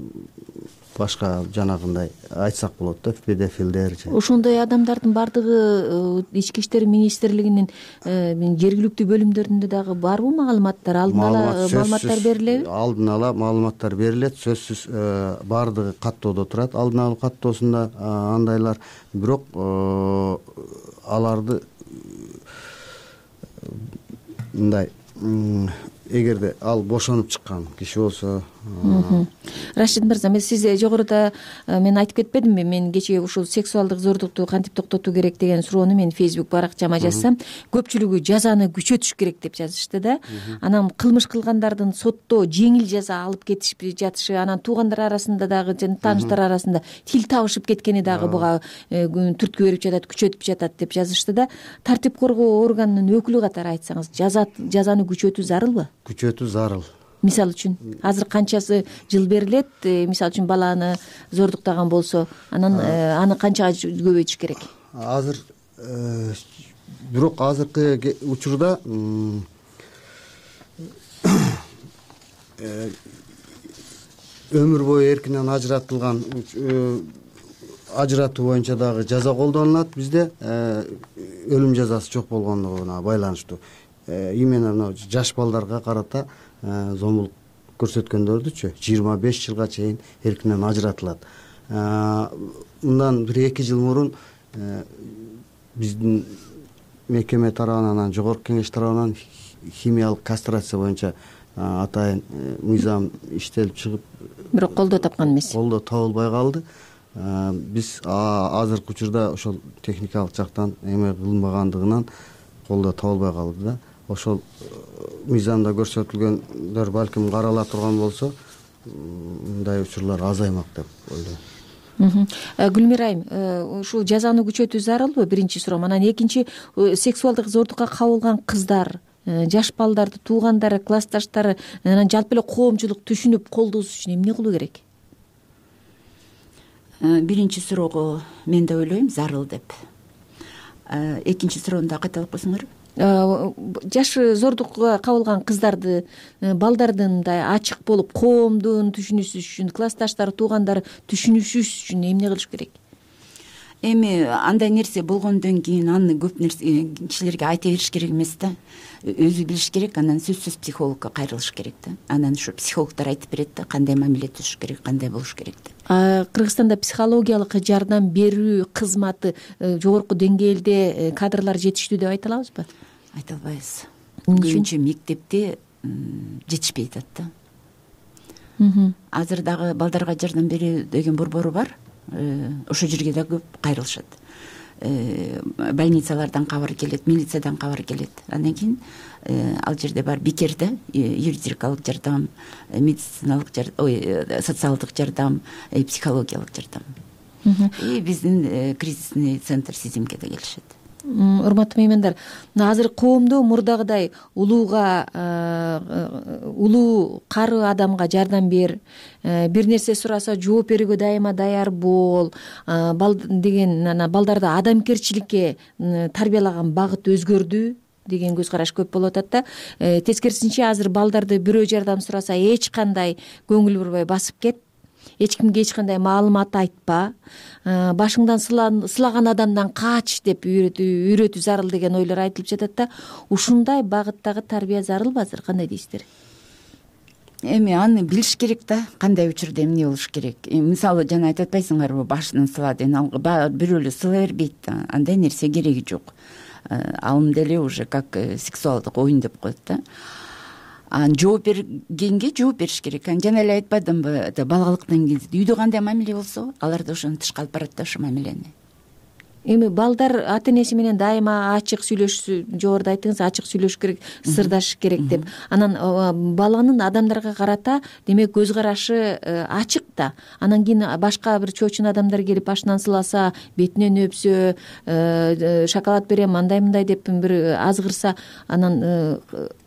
башка жанагындай айтсак болот да, педофилдер. Ошондой адамдардын бардыгы Ички иштер министрлигинин жергиликтүү бөлүмдөрүндө дагы барбы маалыматтар? Алдын ала маалыматтар берилеби? Алдын ала маалыматтар берилет, сөзсүз бардыгы каттоодо турат. Алдын ала каттоосунда андайлар, бирок аларды мындай эгерде ал бошонуп чыккан киши болсо. Рашид мырза, сиз жогоруда мен айтып кетпедимби, мен кечээ ушул сексуалдык зордукту кантип токтотуу керек деген суроону мен Facebook баракчама жазсам, көпчүлүгү жазаны күчөтүш керек деп жазышты да. Анан кылмыш кылгандардын сотто жеңил жаза алып кетишип жатышы, анан туугандар арасында дагы жана тааныштар арасында тил табышып кеткени дагы буга түрткү берип жатат, күчөтүп жатат деп жазышты да. Тартип коргоо органынын өкүлү катары айтсаңыз, жазаны күчөтүү зарылбы? Күчөтүү зарыл. Мисалы үчүн азыр канчасы жыл берилет, мисалы үчүн баланы зордуктаган болсо, анан аны канчага көбөйтүш керек? азыр бирок азыркы учурда өмүр бою эркинен ажыратуу боюнча дагы жаза колдонулат бизде, өлүм жазасы жок болгондугуна байланыштуу. Именно мына жаш балдарга карата зомбулук көрсөткөндөрдүчү 25 жылга чейин эркинен ажыратылат. Мындан 1-2 жыл мурун биздин мекеме тарабынан, жогорку кеңеш тарабынан химиялык кастрация боюнча атайын мыйзам иштелип чыгып, бирок колдоо тапкан эмес. Колдоо табылбай калды. Биз азыркы учурда ошол техникалык жактан эме кылынбагандыгынан колдоо табылбай калды да. Ошол мыйзамда көрсөтүлгөндөр балким карала турган болсо, мындай учурлар азаймак деп ойлойм. Гүлмира айым, ушул жазаны күчөтүү зарылбы? Биринчи суроо. Анан экинчи, сексуалдык зордукка кабылган кыздар, жаш балдарды туугандары, классташтары, анан жалпы эле коомчулук түшүнүп колдоосу үчүн эмне кылуу керек? Биринчи суроого мен да ойлойм зарыл деп. Экинчи суроону да кайталап койсоңор. Жаш зордукка кабылган кыздарды, балдарды мындай ачык болуп коомдун түшүнүшү үчүн, классташтары, туугандары түшүнүшү үчүн эмне кылыш керек? Эми андай нерсе болгондон кийин аны көп нерсе кишилерге айта бериш керек эмес да. Өзү билиш керек, анан сөзсүз психологко кайрылыш керек да. Анан ушу психологдор айтып берет да, кандай мамиле түзүш керек, кандай болуш керек деп. Кыргызстанда психологиялык жардам берүү кызматы жогорку деңгээлде кадрлар жетиштүү деп айта алабызбы? Айта албайбыз. Көбүнчө мектепте жетишпей атат да. Азыр дагы балдарга жардам берүү деген борбору бар. Ошол жерге да көп кайрылышат. Больницалардан кабар келет, милициядан кабар келет. Андан кийин ал жерде бар бекер да, юридикалык жардам, медициналык жардам, социалдык жардам, психологиялык жардам. Биздин кризисный центр СИЗИМге да келишет. Урматтуу меймандар, азыр коомдо мурдагыдай улуу кары адамга жардам бер, бир нерсе сураса жооп берүүгө дайыма даяр бол деген, балдарды адамгерчиликке тарбиялаган багыт өзгөрдү деген көз караш көп болуп атат да. Тескерисинче азыр балдарды бирөө жардам сураса эч кандай көңүл бурбай басып кет, эч кимге эч кандай маалымат айтпа, башыңдан сылаган адамдан кач деп үйрөтүү зарыл деген ойлор айтылып жатат да. Ушундай багыттагы тарбия зарылбы азыр? Кандай дейсиздер? Эми аны билиш керек да, кандай учурда эмне болуш керек. Мисалы жана айтып атпайсыңарбы, башынан сыла деген, бирөө эле сыла бербейт да. Андай нерсе кереги жок. Ал деле уже как сексуалдык оюн деп коет да. Жооп бергенге жооп бериш керек. Жана эле айтпадымбы, балалыктан кезде үйдө кандай мамиле болсо, алар да ошону тышка алып барат да, ошо мамилени. Эми балдар ата энеси менен дайыма ачык сүйлөшүшү, жогоруда айттыңыз, ачык сүйлөшүш керек, сырдашыш керек деп. Анан баланын адамдарга карата демек көз карашы ачык да. Анан кийин башка бир чоочун адамдар келип башынан сыласа, бетинен өпсө, шоколад берем, андай мындай деп бир азгырса, анан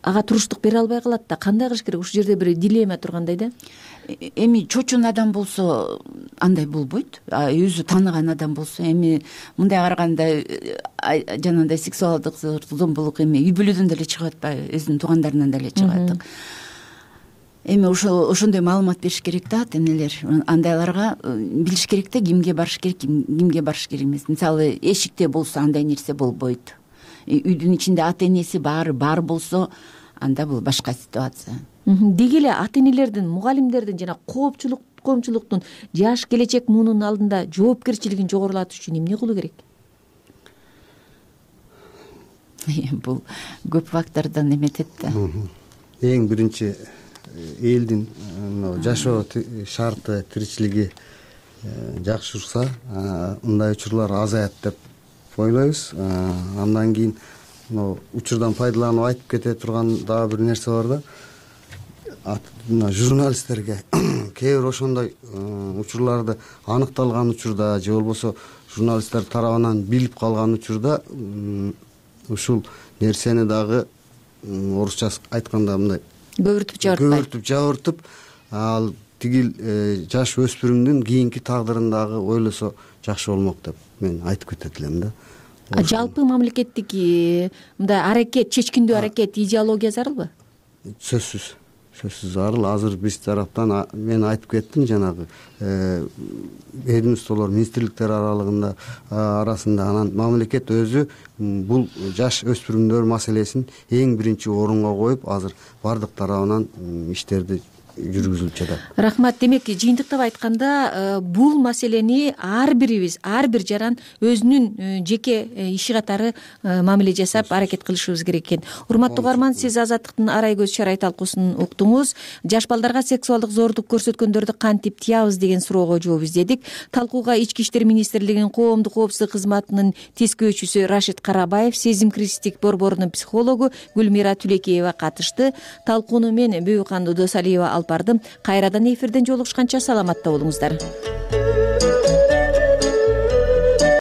ага туруштук бере албай калат да. Кандай кылыш керек? Ушул жерде бир дилемма тургандай да. Эми чоочун адам болсо андай болбойт. Өзү тааныган адам болсо, эми мындай караганда жанагындай сексуалдык зомбулук эми үй бүлөдөн деле чыгып атпайбы, өзүнүн туугандарынан деле чыгып атат. Эми ошондой маалымат бериш керек да ата энелер. Андайларга билиш керек да, кимге барыш керек, кимге барыш керек эмес. Мисалы эшикте болсо андай нерсе болбойт. Үйдүн ичинде ата энеси бар болсо, анда бул башка ситуация. Деги эле ата энелердин, мугалимдердин жана коомчулуктун жаш келечек муунун алдында жоопкерчилигин жогорулатыш үчүн эмне кылуу керек? Бул көп фактордон эметет да. Эң биринчи элдин жашоо шарты, тиричилиги жакшырса, мындай учурлар азаят деп ойлойбуз. Андан кийин учурдан пайдаланып айтып кете турган дагы бир нерсе бар да. Журналисттерге кээ бир ошондой учурларды аныкталган учурда же болбосо журналисттер тарабынан билип калган учурда ушул нерсени дагы орусча айтканда мындай көбүртүп жабыртып, ал тигил жаш өспүрүмдүн кийинки тагдырын дагы ойлосо жакшы болмок деп мен айтып кетет элем да. Жалпы мамлекеттик мындай аракет, чечкиндүү аракет, идеология зарылбы? Сөзсүз зарыл. Азыр биз тараптан мен айтып кеттим жанагы ведомстволор, министрликтер арасында анан мамлекет өзү бул жаш өспүрүмдөр маселесин эң биринчи орунга коюп азыр бардык тарабынан иштерди жүргүзүлүп жатат. Рахмат. Демек жыйынтыктап айтканда бул маселени ар бирибиз, ар бир жаран өзүнүн жеке иши катары мамиле жасап аракет кылышыбыз керек экен. Урматтуу угарман, сиз Азаттыктын арай көз чарай талкуусун уктуңуз. Жаш балдарга сексуалдык зоордук көрсөткөндөрдү кантип тыябыз деген суроого жооп издедик. Талкууга Ички иштер министрлигинин коомдук коопсуздук кызматынын тескөөчүсү Рашид Карабаев, сезим кризистик борборунун психологу Гүлмира Түлекеева катышты. Талкууну мен Бүйүканды Досалиева алып бардым. Кайрадан эфирден жолугушканча саламатта болуңуздар.